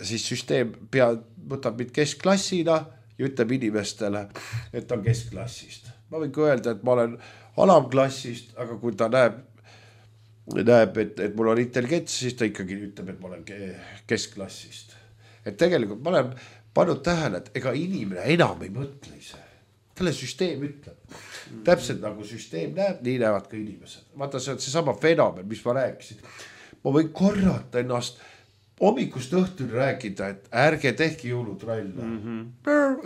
siis süsteem pea, võtab mind keskklassina ja ütleb inimestele, et ta on keskklassist. Ma võin öelda, et ma olen alamklassist, aga kui ta näeb, näeb et, et mul on intelligents, siis ta ikkagi ütleb, et ma olen keskklassist. Et tegelikult ma olen pannud tähele, et ega inimene enam ei mõtle ise. Talle süsteem ütleb. Täpselt nagu süsteem näeb, nii näevad ka inimesed. Vaata, see on see sama fenomen, mis ma rääkisin. Ma võin korrata ennast hommikust õhtul rääkida, et ärge tehke jõulutralla. Mm-hmm.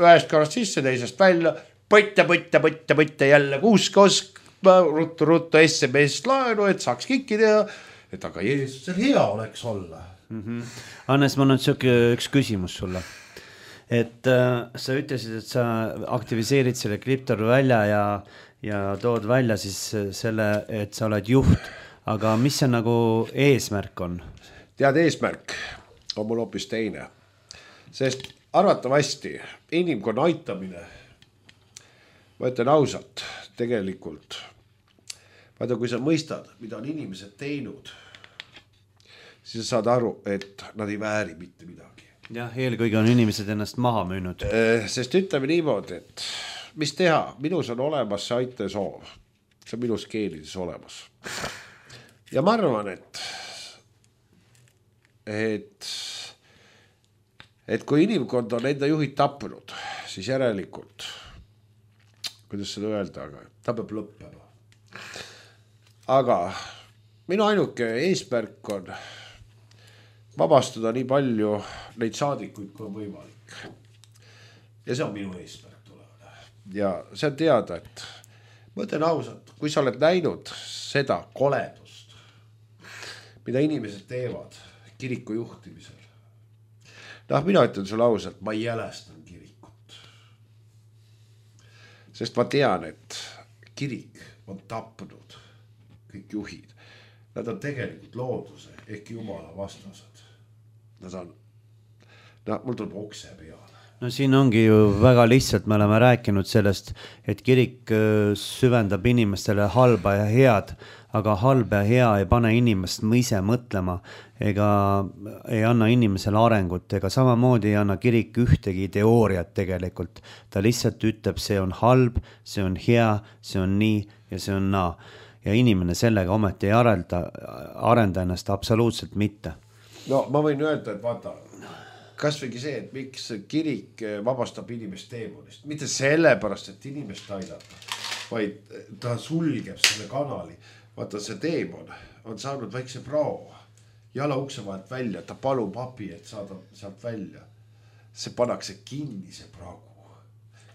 Ühest korrast sisse, teisest välja, põtta, põtta, põtta, põtta jälle kuusk-osk, ruttu, ruttu S M S laenu, et saaks kikki teha, et aga Jeesusel hea oleks olla. Mm-hmm. Hannes, ma nüüd sööke üks küsimus sulle. Et äh, sa ütlesid, et sa aktiviseerid selle kriptoru välja ja, ja tood välja siis selle, et sa oled juht, aga mis see nagu eesmärk on? Tead, eesmärk on mul hoopis teine, sest arvatavasti inimkonna aitamine, ma ütlen ausalt, tegelikult, vaata, kui sa mõistad, mida on inimesed teinud, siis sa saad aru, et nad ei vääri mitte midagi. Jah, eelkõige on inimesed ennast maha müünud. Sest ütleme niimoodi, et mis teha, minus on olemas see aite soov, see on minus geenides olemas. Ja ma arvan, et et et kui inimkond on enda juhid tapnud, siis järelikult, kuidas seda öelda, aga ta peab lõppema. Aga minu ainuke eesmärk on vabastada nii palju neid saadikuid, kui on võimalik. Ja see on minu eesmärk tulevane. Ja see on teada, et ma ütlen ausalt, kui sa oled näinud seda koledust, mida inimesed teevad kiriku juhtimisel. Noh, mina ütlen sulle ausalt, ma ei jälestan kirikut. Sest ma tean, et kirik on tapnud kõik juhid. Nad on tegelikult looduse ehk jumala vastased. Nad on, no, mul tuleb okse peale. No siin ongi ju väga lihtsalt, me oleme rääkinud sellest, et kirik süvendab inimestele halba ja head, aga halb ja hea ei pane inimest ise mõtlema ega ei anna inimesele arengut ega samamoodi ei anna kirik ühtegi teooriat tegelikult. Ta lihtsalt ütleb, see on halb, see on hea, see on nii ja see on naa. Ja inimene sellega ometi ei arenda, arenda ennast absoluutselt mitte. No ma võin öelda, et vaata, kas võigi see, et miks kirik vabastab inimest teemonist. Mitte sellepärast, et inimest aidata, vaid ta sulgeb selle kanali. Vaata, see teemon on saanud väikse prao, jala ukse vahelt välja, ta palub abi, et saada sealt välja. See pannakse kinni, see praegu.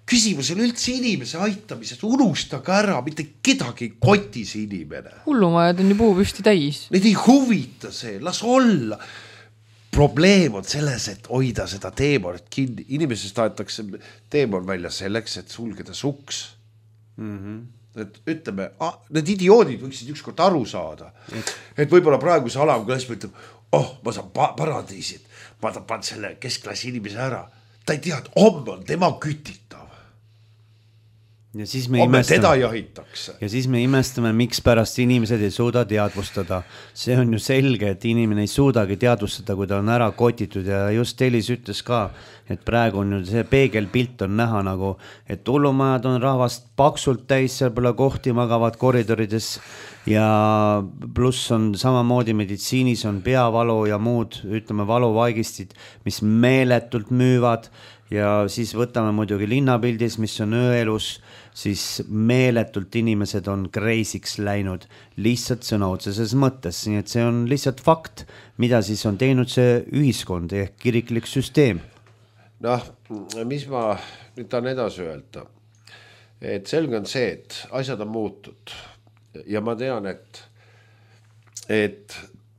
Küsimus on üldse inimese aitamises, unustage ära, mitte kedagi kotis inimene. Hullumajad on ju puu püsti täis. Neid ei huvita see, las olla. Probleem on selles, et hoida seda teemonit kinni. Inimesest aetakse teemon välja selleks, et sulgeda suks. Mm-hmm. Et ütleme, ah, need idioodid võiksid ükskord aru saada. Et, et võib-olla praegu see alamklass ütleb, oh, ma saan pa- paradiisid, ma tapan selle keskklassi inimese ära. Ta ei tea, et homme on tema kütitav. Ja siis me homme imestame, teda jahitakse. Ja siis me imestame, miks pärast inimesed ei suuda teadvustada. See on ju selge, et inimene ei suudagi teadvustada, kui ta on ära kotitud ja just Elis ütles ka, et praegu on ju see peegelpilt on näha nagu, et hullumajad on rahvast paksult täis, seal pole kohti magavad koridorides ja pluss on samamoodi meditsiinis on peavalu ja muud, ütleme valuvaigistid, mis meeletult müüvad ja siis võtame muidugi linnapildis, mis on ööelus, siis meeletult inimesed on kreisiks läinud lihtsalt sõna otseses mõttes, nii et see on lihtsalt fakt, mida siis on teinud see ühiskond ehk kiriklik süsteem. Noh, mis ma nüüd tahan edasi öelda, et selge on see, et asjad on muutud ja ma tean, et, et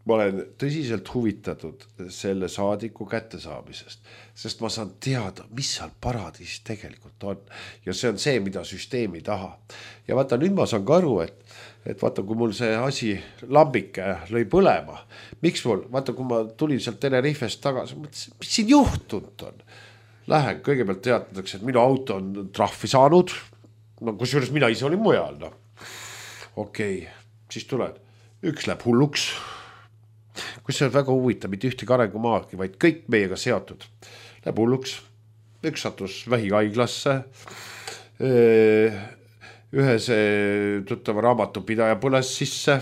ma olen tõsiselt huvitatud selle saadiku kättesaamisest, sest ma saan teada, mis seal paradiis tegelikult on. Ja see on see, mida süsteem ei taha. Ja vaata, nüüd ma saan ka aru, et, et vaata, kui mul see asi lambike lõi põlema, miks mul, vaata, kui ma tulin sealt Tenerifest tagasi, mis siin juhtunud on? Lähen, kõigepealt teatatakse, et minu auto on trahvi saanud, no kusjuures mina ise olin mujal, no. Okei, okay. Siis tuled, üks läheb hulluks, kus see on väga huvitav, mitte ühtegi arengumaagi, vaid kõik meiega seotud. Läheb hulluks, üks satus vähihaiglasse, ühes tuttava raamatupidaja põles sisse,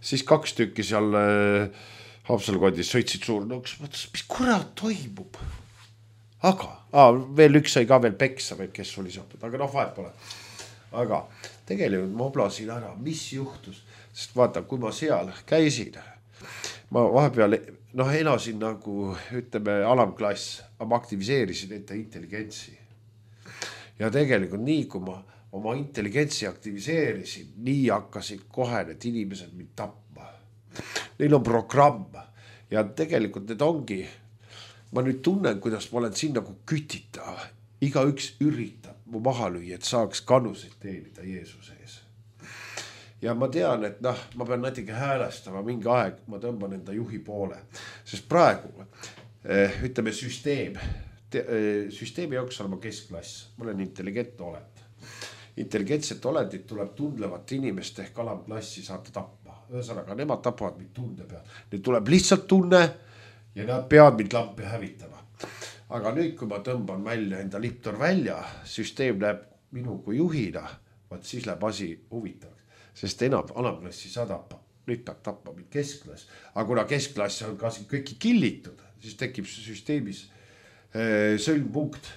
siis kaks tükki seal Haapsalu kondis sõitsid suurnõuks, mõtles, mis kurat toimub. Aga, aa, veel üks sai ka veel peksa, või kes oli seotud, aga noh, vahet pole. Aga tegelikult ma oblasin ära, mis juhtus, sest vaata, kui ma seal käisin, ma vahepeal noh, elasin nagu, ütleme, alamklass, ma aktiviseerisin ette intelligentsi. Ja tegelikult nii, kui ma oma intelligentsi aktiviseerisin, nii hakkasid kohe need inimesed mind tapma. Neil on programm ja tegelikult need ongi, ma nüüd tunnen, kuidas ma olen siin nagu kütitav. Iga üks üritab mu maha lüüa, et saaks kannuseid teenida Jeesuse ees. Ja ma tean, et noh, ma pean natuke häälestama mingi aeg, ma tõmban enda juhi poole. Sest praegu, ütleme süsteem, süsteemi jaoks olema keskklass, ma olen intelligentne olend. Intelligentset olendit tuleb tundlevat inimest ehk alamklassi saata tappa. Ühesõnaga, nemad tapavad mind tunde peal. Need tuleb lihtsalt tunne ja nad peavad mind lampi hävitama. Aga nüüd, kui ma tõmban välja enda liptor välja, süsteem läheb minu kui juhina, vaat siis läheb asi huvitavaks. Sest enam alamklassi sa tappa. Nüüd peab tappa mind keskklass. Aga kuna keskklass on ka kõiki killitud, siis tekib süsteemis sõlmpunkt.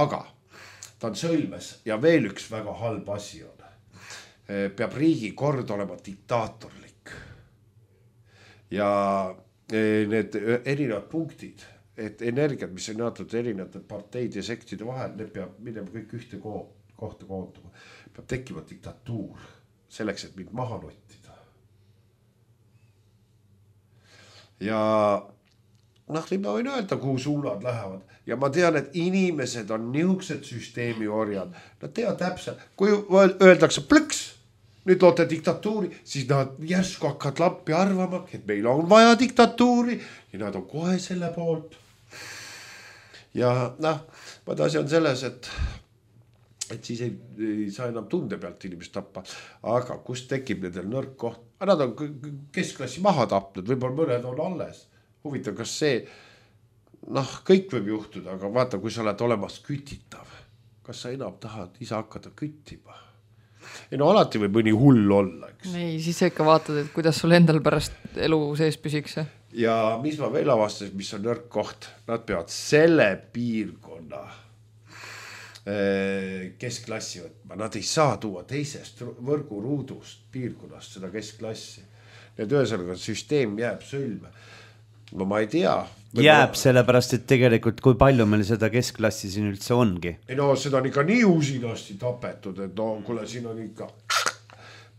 Aga ta on sõlmes ja veel üks väga halb asi on. Peab riigi kord olema diktaatorlik. Ja need erinevad punktid, et energiat, mis on jaotud erinevate parteid ja sektide vahel, need peab minema kõik ühte kohta koonduma. Peab tekkima diktatuur selleks, et mind maha nottida. Ja noh, nii ma võin öelda, kuhu suunad lähevad. Ja ma tean, et inimesed on niisugused süsteemi orjad. Nad teavad täpselt, kui öeldakse plõks, nüüd loote diktatuuri, siis nad järsku hakkavad lampi arvama, et meil on vaja diktatuuri ja nad on kohe selle poolt. Ja noh, vaid asi on selles, et, et siis ei, ei saa enam tunde pealt inimest tappa. Aga kus tekib nendel nõrk koht? Nad on keskklassi maha tapnud, võib-olla mõned on alles. Huvitav, kas see, noh, kõik võib juhtuda, aga vaata, kui sa oled olemas kütitav, kas sa enam tahad ise hakata küttima? Ei no alati võib mõni hull olla, eks. Ei, siis ikka vaatad, et kuidas sul endal pärast elu sees püsiks. Ja mis ma veel avastasin, mis on nõrk koht, nad peavad selle piirkonna keskklassi võtma. Nad ei saa tuua teisest võrguruudust piirkonnast seda keskklassi. Need ühesõnaga süsteem jääb sõlme. No ma ei tea. Jääb ma... sellepärast, et tegelikult kui palju meil seda keskklassi siin üldse ongi. Ei no seda on ikka nii usinasti tapetud, et no kuule siin on ikka,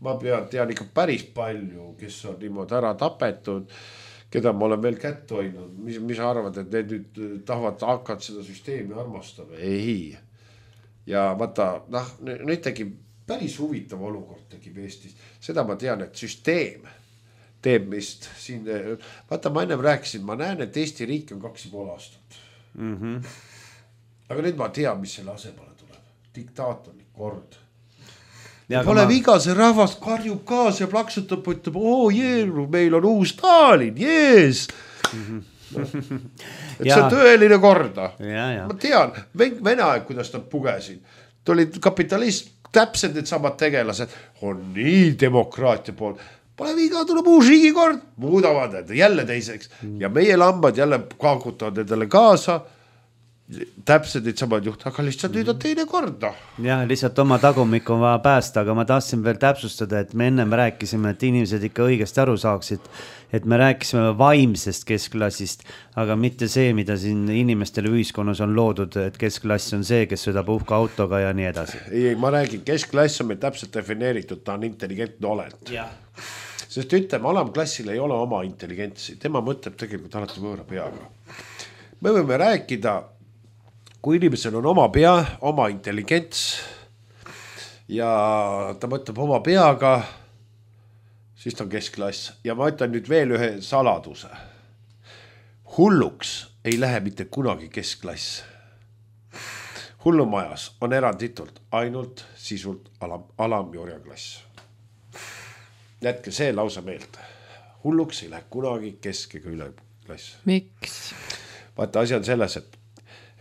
ma pean, tean ikka päris palju, kes on niimoodi ära tapetud, keda ma olen veel kätt hoidnud. Mis, mis arvad, et need nüüd tahavad hakkad seda süsteemi armastama? Ei. Ja vaata, noh, nüüd tekib päris huvitav olukord tekib Eestis. Seda ma tean, et süsteem teeb mist siin, vaata ma ennem rääkisin, ma näen, et Eesti riik on kaks ja pool aastat. Mm-hmm. Aga nüüd ma tean, mis selle asemale tuleb. Diktaatorlik kord. Ja pole ma... viga, see rahvas karjub kaas ja plaksutab, ütleb, oo jeeru, meil on uus Stalin, jees. Mm-hmm. No. Et ja. See on tõeline korda. Ja, ja. Ma tean, Vene aeg, kuidas nad pugesid. Tuli kapitalist, täpselt need samad tegelased, on nii demokraatia pool. Pole viga, tuleb uus riigikord, muudavad need jälle teiseks. Ja meie lambad jälle kaakutavad nendele kaasa. Täpselt need samad juht, aga lihtsalt nüüd on teine korda. Jah, lihtsalt oma tagumik on vaja päästa, aga ma tahtsin veel täpsustada, et me ennem rääkisime, et inimesed ikka õigesti aru saaksid, et me rääkisime vaimsest keskklassist, aga mitte see, mida siin inimestele ühiskonnas on loodud, et keskklass on see, kes sõidab uhka autoga ja nii edasi. Ei, ma räägin, keskklass on meil täpselt defineeritud, ta on intelligentne olend. Jah. Sest ütleme, alamklassil ei ole oma intelligentsi, tema mõtleb tegelikult alati võõra peaga. Me võime rääkida, kui inimesel on oma pea, oma intelligents ja ta mõtleb oma peaga, siis ta on keskklass. Ja ma ütlen nüüd veel ühe saladuse. Hulluks ei lähe mitte kunagi keskklass. Hullumajas on eranditult ainult sisult alam, alam- ja orjaklass. Jätke see lausa meelde. hulluks ei lähe kunagi kesk- ega üleklass. Miks? Vaata, asi on selles, et,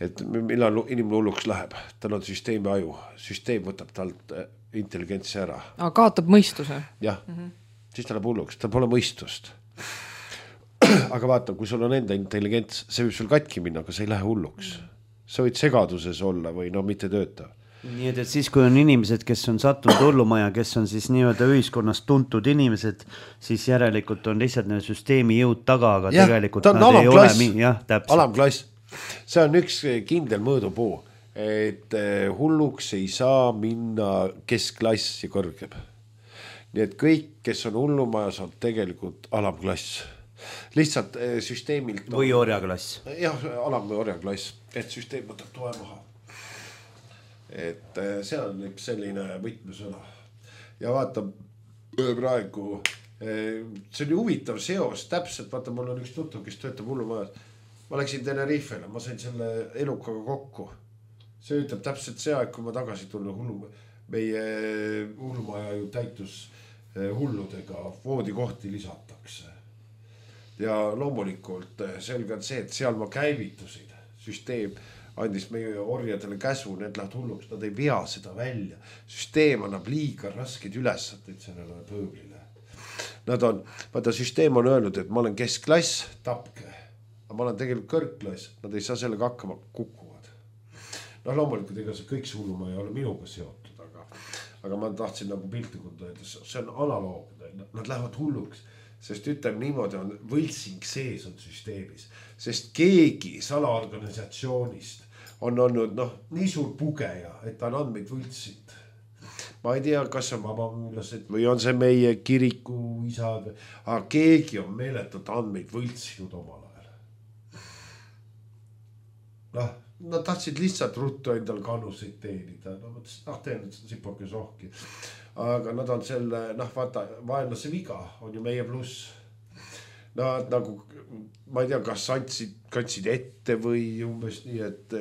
et millal inimene hulluks läheb, tal on süsteemi aju, süsteem võtab talt intelligentsi ära. Aga kaotab mõistuse. Jah, mm-hmm. siis ta läheb hulluks, tal pole mõistust. Aga vaata, kui sul on enda intelligents, see võib sul katki minna, aga sa ei lähe hulluks. Sa võid segaduses olla või no mitte tööta. Nii et, et siis, kui on inimesed, kes on sattunud hullumaja, kes on siis nii-öelda ühiskonnas tuntud inimesed, siis järelikult on lihtsalt need süsteemi jõud taga, aga ja, tegelikult nad ei ole mi- jah, täpselt. Alamklass. See on üks kindel mõõdupuu, et hulluks ei saa minna keskklass ja kõrgem. Nii et kõik, kes on hullumajas, on tegelikult alamklass. Lihtsalt süsteemilt või orjaklass. Jah, alam- või orjaklass, et süsteem võtab toe maha. Et see on üks selline võtmesõna. Ja vaata praegu, see on huvitav seos, täpselt, vaata, mul on üks tuttav, kes töötab hullumajas. Ma läksin Tenerifele, ma sain selle elukaga kokku. See ütleb täpselt see aeg, kui ma tagasi tulla hullu, meie hullumaja ju täitus hulludega, voodikohti lisatakse. Ja loomulikult selge on see, et seal ma käivitusin, süsteem andis meie orjadele käsu, need lähevad hulluks, nad ei vea seda välja. Süsteem annab liiga raskeid ülesandeid sellele pööblile. Nad on, vaata, süsteem on öelnud, et ma olen keskklass, tapke. Aga ma olen tegelikult kõrgklass, nad ei saa sellega hakkama, kukuvad. No loomulikult, ega see kõik see hulluma ei ole minuga seotud, aga, aga ma tahtsin nagu piltlikult öelda, see on analoogne, nad lähevad hulluks. Sest ütleme niimoodi on võltsing sees on süsteemis, sest keegi salaorganisatsioonist on olnud noh, nii suur pugeja, et ta on andmeid võltsinud. Ma ei tea, kas on vabamüülased või on see meie kiriku isad, aga keegi on meeletult andmeid võltsinud omal ajal. Noh, nad tahtsid lihtsalt ruttu endal kannuseid teenida. No mõtlesin, noh, teen sipoke sohki. Aga nad on selle, noh, vaata, vaenlase viga on ju meie pluss. Nad nagu, ma ei tea, kas andsid, kandsid ette või umbes nii, et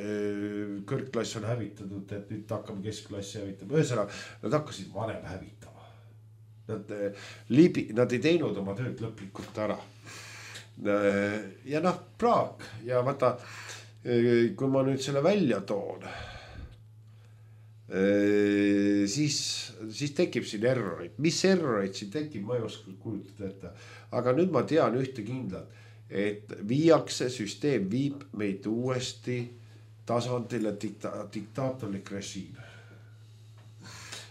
kõrgklass on hävitatud, et nüüd hakkame keskklassi hävitama. Ühesõnaga, nad hakkasid vanem hävitama. Nad, libi, nad ei teinud oma tööd lõplikult ära. Ja noh, praak. Ja vaata, kui ma nüüd selle välja toon, siis, siis tekib siin errorid. Mis errorid siin tekib, ma ei oska kujutada ette. Aga nüüd ma tean ühte kindlat, et viiakse süsteem viib meid uuesti tasandile dikta, diktaatorlik režiim.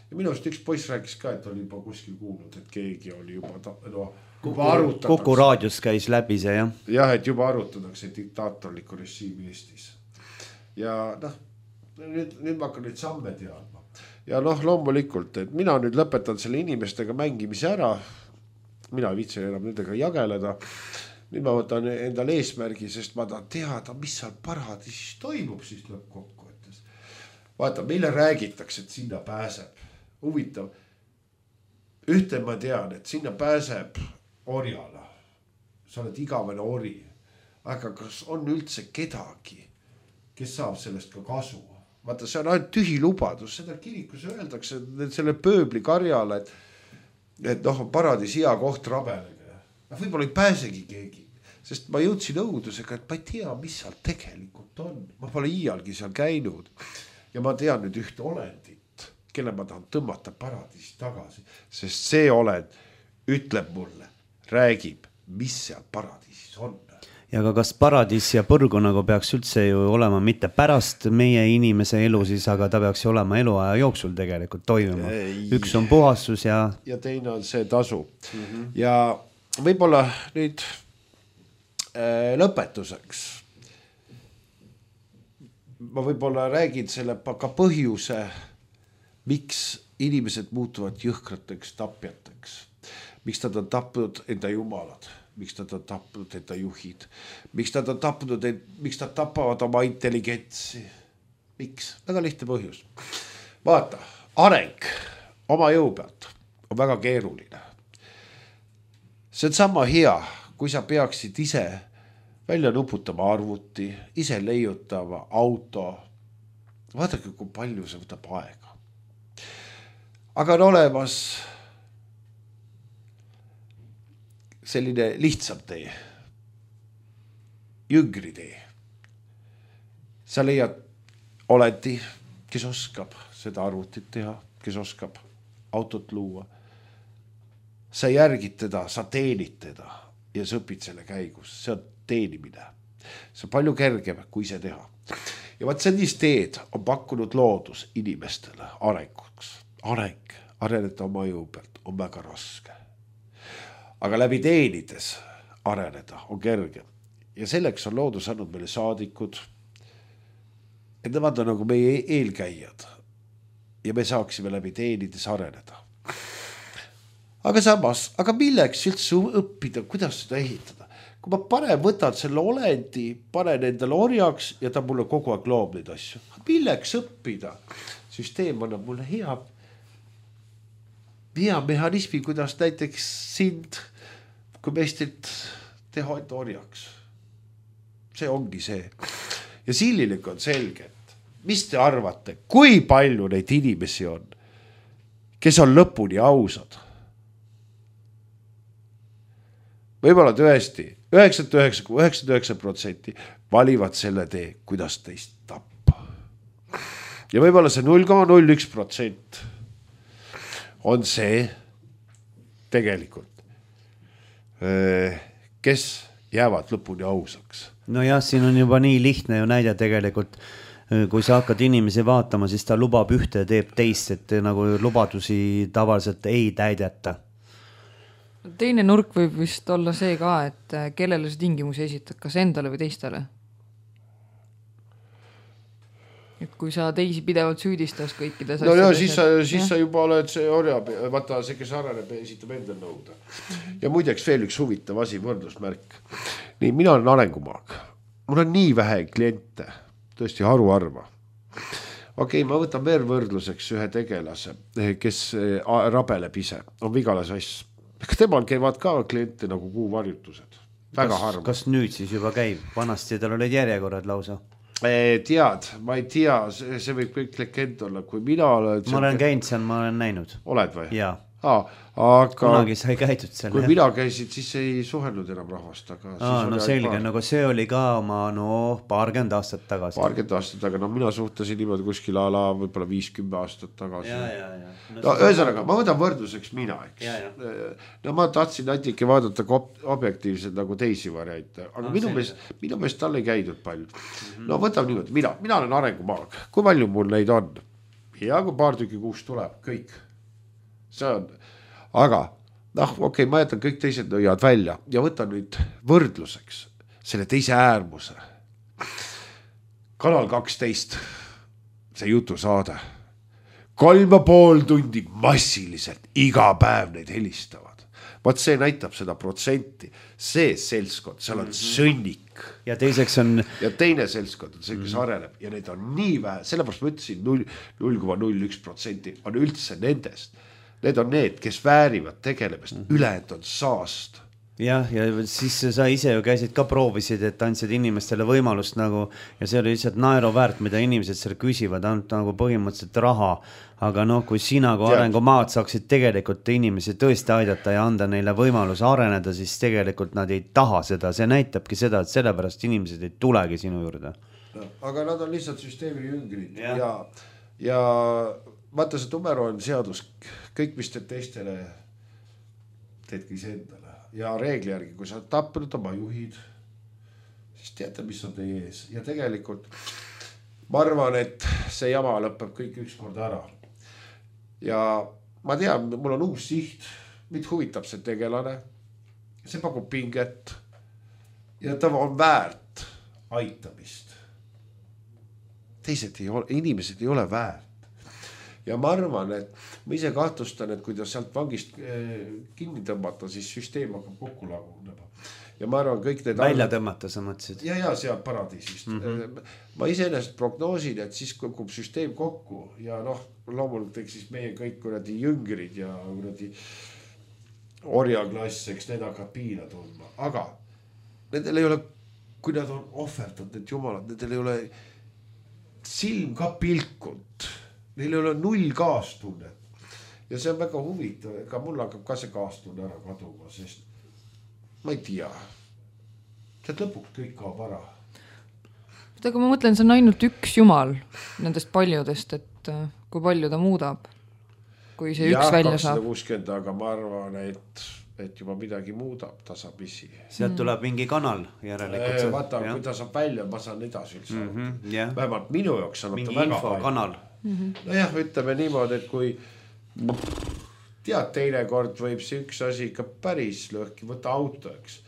Ja minu arust üks poiss rääkis ka, et oli juba kuskil kuulnud, et keegi oli juba, no, juba arutatakse. Kuku raadios käis läbi see, jah? Jah, et juba arutatakse diktaatorliku režiimi Eestis. Ja noh, Nüüd, nüüd ma hakkan nüüd samme teadma. Ja noh, loomulikult, et mina nüüd lõpetan selle inimestega mängimise ära. Mina ei viitsi enam nendega jageleda. Nüüd ma võtan endal eesmärgi, sest ma tahan teada, mis seal paradiisis toimub siis lõppkokkuvõttes. Vaata, meile räägitakse, et sinna pääseb. Huvitav. Ühte ma tean, et sinna pääseb orjala. Sa oled igavene ori. Aga kas on üldse kedagi, kes saab sellest ka kasu? Vaata, see on ainult tühi lubadus, seda kirikus öeldakse selle pööbli karjale, et, et noh, paradiis hea koht rabelega. Võib-olla ei pääsegi keegi, sest ma jõudsin õudusega, et ma ei tea, mis seal tegelikult on. Ma pole iialgi seal käinud ja ma tean nüüd ühte olendit, kelle ma tahan tõmmata paradiisi tagasi, sest see olend ütleb mulle, räägib, mis seal paradiisis on. Ja aga kas paradiis ja põrgu nagu peaks üldse ju olema mitte pärast meie inimese elu siis, aga ta peaks ju olema eluaja jooksul tegelikult toimuma. Üks on puhastus ja... Ja teine on see tasu. Mm-hmm. Ja võib-olla nüüd äh, lõpetuseks. Ma võib-olla räägin selle ka põhjuse, miks inimesed muutuvad jõhkrateks tapjateks. Miks nad on tapnud enda jumalad. Miks nad on tapnud enda juhid, miks nad on tapnud, miks nad tapavad oma intelligentsi, miks? Väga lihtne põhjus. Vaata, areng oma jõu pealt on väga keeruline. See on sama hea, kui sa peaksid ise välja nuputama arvuti, ise leiutama auto. Vaadake, kui palju see võtab aega. Aga on olemas selline lihtsam tee. Jüngri tee. Sa leiad oleti, kes oskab seda arvutit teha, kes oskab autot luua. Sa järgid teda, sa teenid teda ja sa õpid selle käigus. See on teenimine. See on palju kergem, kui see teha. Ja vaat sellist teed on pakkunud loodus inimestele arenguks. Areng, areneda oma jõu pealt on väga raske. Aga läbi teenides areneda on kergem. Ja selleks on loodus andnud meile saadikud, et nemad on nagu meie eelkäijad ja me saaksime läbi teenides areneda. Aga samas, aga milleks üldse õppida, kuidas seda ehitada? Kui ma panen, võtan selle olendi, panen endale orjaks ja ta mulle kogu aeg loob neid asju. Milleks õppida? Süsteem annab mulle hea, hea mehhanismi, kuidas näiteks sind, kui meistilt teha enda orjaks. See ongi see. Ja sillilik on selge, et mis te arvate, kui palju neid inimesi on, kes on lõpuni ausad? Võib-olla tõesti, üheksakümmend üheksa protsenti valivad selle tee, kuidas teist tappa. Ja võib-olla see null koma null üks protsent on see tegelikult, kes jäävad lõpuni ausaks. No jah, siin on juba nii lihtne ju näide tegelikult, kui sa hakkad inimesi vaatama, siis ta lubab ühte ja teeb teist, et nagu lubadusi tavaliselt ei täideta. Teine nurk võib vist olla see ka, et kellele see tingimusi esitad, kas endale või teistele? Et kui sa teisi pidevalt süüdistas kõikides no ja siis, sa, siis sa juba oled see orja, vaata see, kes areneb, esitab endale nõuda. Ja muideks veel üks huvitav asi, võrdlusmärk. Nii, mina olen arengumaag. Mul on nii vähe kliente, tõesti haruarva. Okei, ma võtan veel võrdluseks ühe tegelase, kes rabeleb ise, on Vigala Sass. Temal käivad ka kliente nagu kuuvarjutused. Väga kas, harva. Kas nüüd siis juba käib? Vanasti tal olid järjekorrad lausa. Tead, ma ei tea, see, see võib kõik legend olla, kui mina olen... Ma olen käinud seal, ma olen näinud. Oled või? Jaa. Aa, aga... Kunagi sai käidud seal. Kui jah. Mina käisid, siis ei suhelnud enam rahvast. Aga Aa, no selge, paar... nagu see oli ka oma no, paarkümmend aastat tagasi. Paarkümmend aastat tagasi, no mina suhtasin niimoodi kuskil ala võib-olla viiskümmend aastat tagasi. Ja, ja, ja. No, no ühesõnaga, ma võtan võrdluseks mina, eks. Ja, ja. No ma tahtsin natike vaadata objektiivselt nagu teisi variante, aga no, minu meest, minu meest tal ei käidud palju. Mm-hmm. No võtam niimoodi, mina, mina olen arengumaag. Kui palju mul neid on? Ja kui paar tükki kuus tuleb, kõik. See on... Aga, noh, okei, okay, ma jätan kõik teised nõiad välja ja võtan nüüd võrdluseks selle teise äärmuse. Kanal kaksteist, see jutusaade. Kolm ja pool tundi massiliselt iga päev neid helistavad. Vaat see näitab seda protsenti. See selskond, seal on sõnnik. Ja teiseks on... Ja teine selskond on see, kes areneb ja need on nii vähe. Sellepärast ma ütlesin null koma null üks protsenti on üldse nendest. Need on need, kes väärivad tegelemist, mm-hmm. ülejäänud on saast. Jah, ja siis sa ise ju käisid ka proovisid, et andsid inimestele võimalust nagu, ja see oli lihtsalt naeru väärt, mida inimesed seal küsivad, ainult nagu põhimõtteliselt raha. Aga noh, kui sina kui arengumaad saaksid tegelikult inimesi tõesti aidata ja anda neile võimalus areneda, siis tegelikult nad ei taha seda. See näitabki seda, et sellepärast inimesed ei tulegi sinu juurde. No, aga nad on lihtsalt süsteemi jüngrid ja, ja, ja vaata see Tumero on seadus, kõik mis teed teistele, teedki ise endale. Ja reegli järgi, kui sa tappenud oma juhid, siis teate, mis on teie ees. Ja tegelikult ma arvan, et see jama lõpeb kõik ükskord ära. Ja ma tean, mul on uus siht, mind huvitab see tegelane. See pakub pinget ja ta on väärt aitamist. Teised ei ole, inimesed ei ole väärt. Ja ma arvan, et ma ise kahtlustan, et kui ta sealt vangist kinni tõmmata, siis süsteem hakkab kokku lagunema. Ja ma arvan, kõik need... Välja tõmmata, sa mõtlesid? Ja, ja, seal paradiisist. Mm-hmm. Ma iseenesest prognoosin, et siis kukub süsteem kokku ja noh, loomulikult eks siis meie kõik kuradi jüngrid ja kuradi orjaklass, eks need hakkab piina tundma. Aga nendel ei ole, kui nad on ohverdanud, need jumalad, nendel ei ole silm ka pilkund. Neil ei ole null kaastunnet. Ja see on väga huvitav, ega mul hakkab ka see kaastunne ära kaduma, sest ma ei tea. See lõpuks kõik kaob ära. Aga ma mõtlen, see on ainult üks jumal nendest paljudest, et kui palju ta muudab, kui see ja, üks välja kakssada saab. kuuskümmend, aga ma arvan, et, et juba midagi muudab tasapisi. Sealt tuleb mingi kanal järelikult. Eee, vaata, kui ta saab välja, ma saan edasi üldse. Mm -hmm, yeah. Vähemalt minu jaoks on mingi ta väga infokanal. Mm-hmm. Nojah, ütleme niimoodi, et kui tead, teine kord võib see üks asi ikka päris lõhki võtta auto, eks.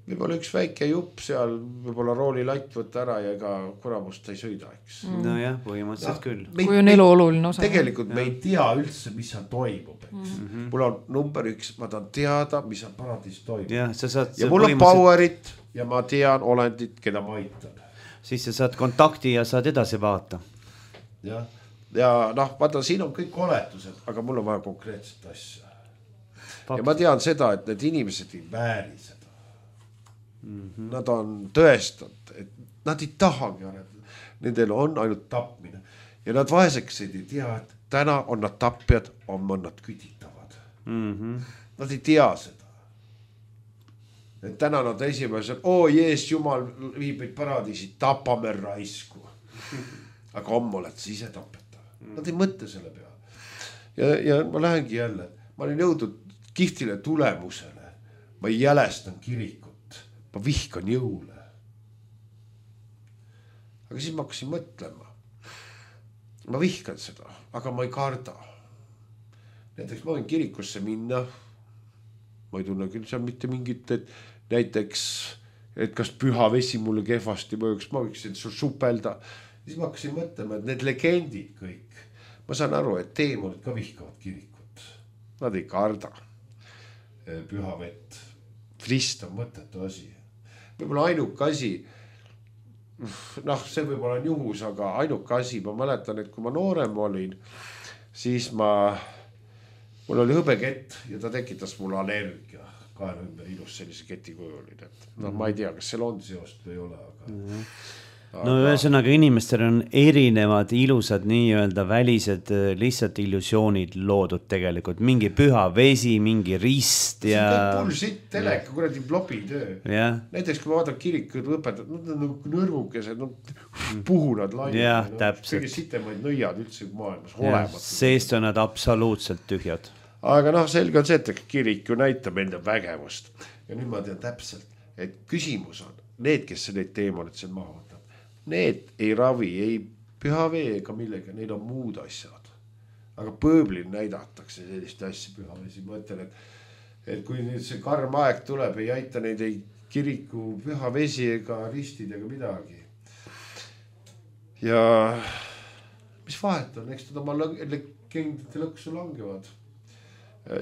Võib-olla üks väike jupp seal, võib-olla roolilatt võtta ära ja ega kuramust ei sõida, eks. Mm. No jah, põhimõtteliselt no, küll. Kui on elu oluline osa. Tegelikult me ei tea üldse, mis seal toimub, eks. Mm-hmm. Mul on number üks, ma tahan teada, mis seal paradiis toimub. Ja, sa saad, ja mul on powerit ja ma tean olendit, keda ma aitan. Siis sa saad kontakti ja saad edasi vaata. Jah. Ja noh, vaata, siin on kõik oletused, aga mul on vaja konkreetset asja. Fakt. Ja ma tean seda, et need inimesed ei vääri seda. Mm-hmm. Nad on tõestanud, et nad ei tahagi arendada. Nendel on ainult tapmine. Ja nad vaeseks ei tea, et täna on nad tapjad, on nad kütitavad. Mm-hmm. Nad ei tea seda. Et täna nad esimesed, oo jees, jumal viib meid paradiisi, tapame raisku. Aga homme oled sa ise tapetav. Nad ei mõtle selle peale. Ja, ja ma lähengi jälle, ma olin jõudnud kihtile tulemusele. Ma ei jälestan kirikut. Ma vihkan jõule. Aga siis ma hakkasin mõtlema. Ma vihkan seda, aga ma ei karda. Näiteks ma võin kirikusse minna. Ma ei tunne küll seal mitte mingit, et näiteks, et kas püha vesi mulle kehvasti mõjuks, ma võiksin sul supelda. Siis ma hakkasin mõtlema, et need legendid kõik. Ma saan aru, et teemonid ka vihkavad kirikut. Nad ei karda püha vett. Frist on mõttetu asi. Võib-olla ainuke asi, noh, see võib-olla on juhus, aga ainuke asi, ma mäletan, et kui ma noorem olin, siis ma, mul oli hõbekett ja ta tekitas mul allergia. Kaela ümber ilus sellise keti kujulin, et noh, ma ei tea, kas seal on seost või ei ole, aga... Mm-hmm. No ühesõnaga inimestel on erinevad ilusad nii-öelda välised lihtsalt illusioonid loodud tegelikult. Mingi püha vesi, mingi rist ja... See on bullshit, teleka, kuradi blobitöö. Yeah. Näiteks kui ma vaatan kirikud õpetajad, nad on nagu nõrvukesed, no, puhunad lained. Jah, täpselt. Kõige sitemaid nõiad üldse maailmas. Yeah, seest on nad absoluutselt tühjad. Aga noh, selge on see, et kirik ju näitab enda vägevust. Ja nüüd ma tean täpselt, et küsimus on need, kes need teemonid seal maha võtab. Need ei ravi, ei püha vee ega millega, neil on muud asjad. Aga pööblil näidatakse sellist asja püha vesi. Ma ütlen, et, et kui nüüd see karm aeg tuleb, ei aita neid ei kiriku püha vesi ega ristid ega midagi. Ja mis vahet on, eks nad oma legendite lõksu langevad.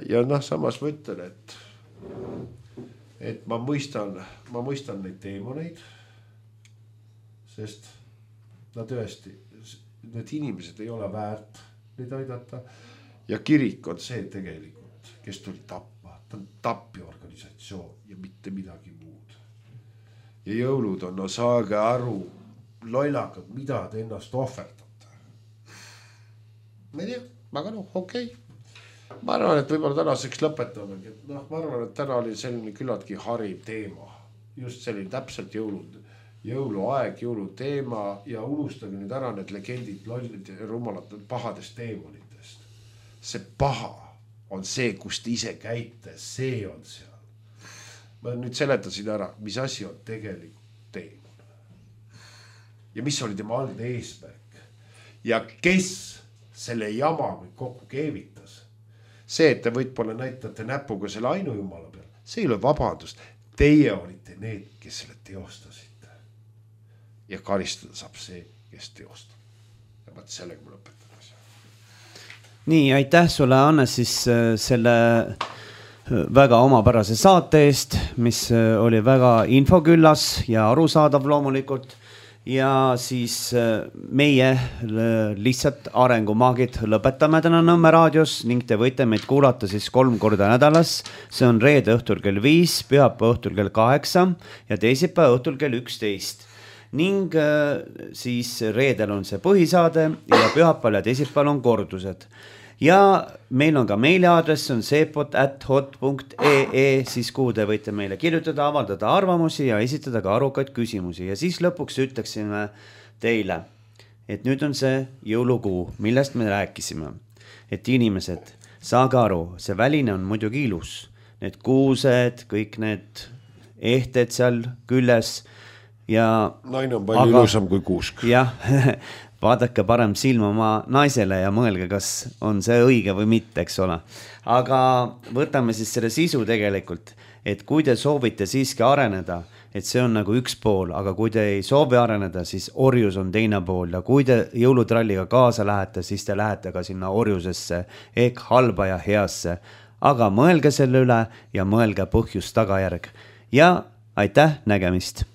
Ja noh, samas ma ütlen, et, et ma mõistan, ma mõistan neid teemoneid. Sest nad tõesti, need inimesed ei ole väärt neid aidata. Ja kirik on see tegelikult, kes tuli tappa. Ta on tapjaorganisatsioon ja mitte midagi muud. Ja jõulud on, no saage aru, lollakad, mida te ennast ohverdate. Ma ei tea, aga noh, okei. Okay. Ma arvan, et võib-olla tänaseks lõpetamegi. No, ma arvan, et täna oli selline küllaltki hariv teema. Just selline täpselt jõulud. Jõuluaeg, jõuluteema ja unustage nüüd ära need legendid, lollid ja rumalad pahadest teemonitest. See paha on see, kus te ise käite, see on seal. Ma nüüd seletasin ära, mis asi on tegelikult teemon. Ja mis oli tema algne eesmärk. Ja kes selle jama kokku keevitas. See, et te võitpole näitate näpuga selle ainujumala peal, see ei ole vabandust. Teie olite need, kes selle teostasite. Ja karistada saab see, kes teostab. Ja vaat sellega ma lõpetan asja. Nii, aitäh sulle, Anne, siis selle väga omapärase saate eest, mis oli väga infoküllas ja arusaadav loomulikult. Ja siis meie lihtsalt arengumaagid lõpetame täna Nõmme raadios ning te võite meid kuulata siis kolm korda nädalas. See on reede õhtul kell viis, pühapäeva õhtul kell kaheksa ja teisipäeva õhtul kell üksteist. Ning siis reedel on see põhisaade ja pühapäeval ja teisipäeval on kordused. ja meil on ka meiliaadress, on seepot at hot punkt ee, siis kuhu te võite meile kirjutada, avaldada arvamusi ja esitada ka arukaid küsimusi. Ja siis lõpuks ütleksime teile, et nüüd on see jõulukuu, millest me rääkisime. Et inimesed, saage aru, see väline on muidugi ilus. Need kuused, kõik need ehted seal külles ja... Naine on palju aga, ilusam kui kuusk. Jah, vaadake parem silma oma naisele ja mõelge, kas on see õige või mitte, eks ole. Aga võtame siis selle sisu tegelikult, et kui te soovite siiski areneda, et see on nagu üks pool, aga kui te ei soovi areneda, siis orjus on teine pool ja kui te jõulutralliga kaasa lähete, siis te lähete ka sinna orjusesse ehk halba ja heasse. Aga mõelge selle üle ja mõelge põhjus tagajärg. Ja aitäh, nägemist!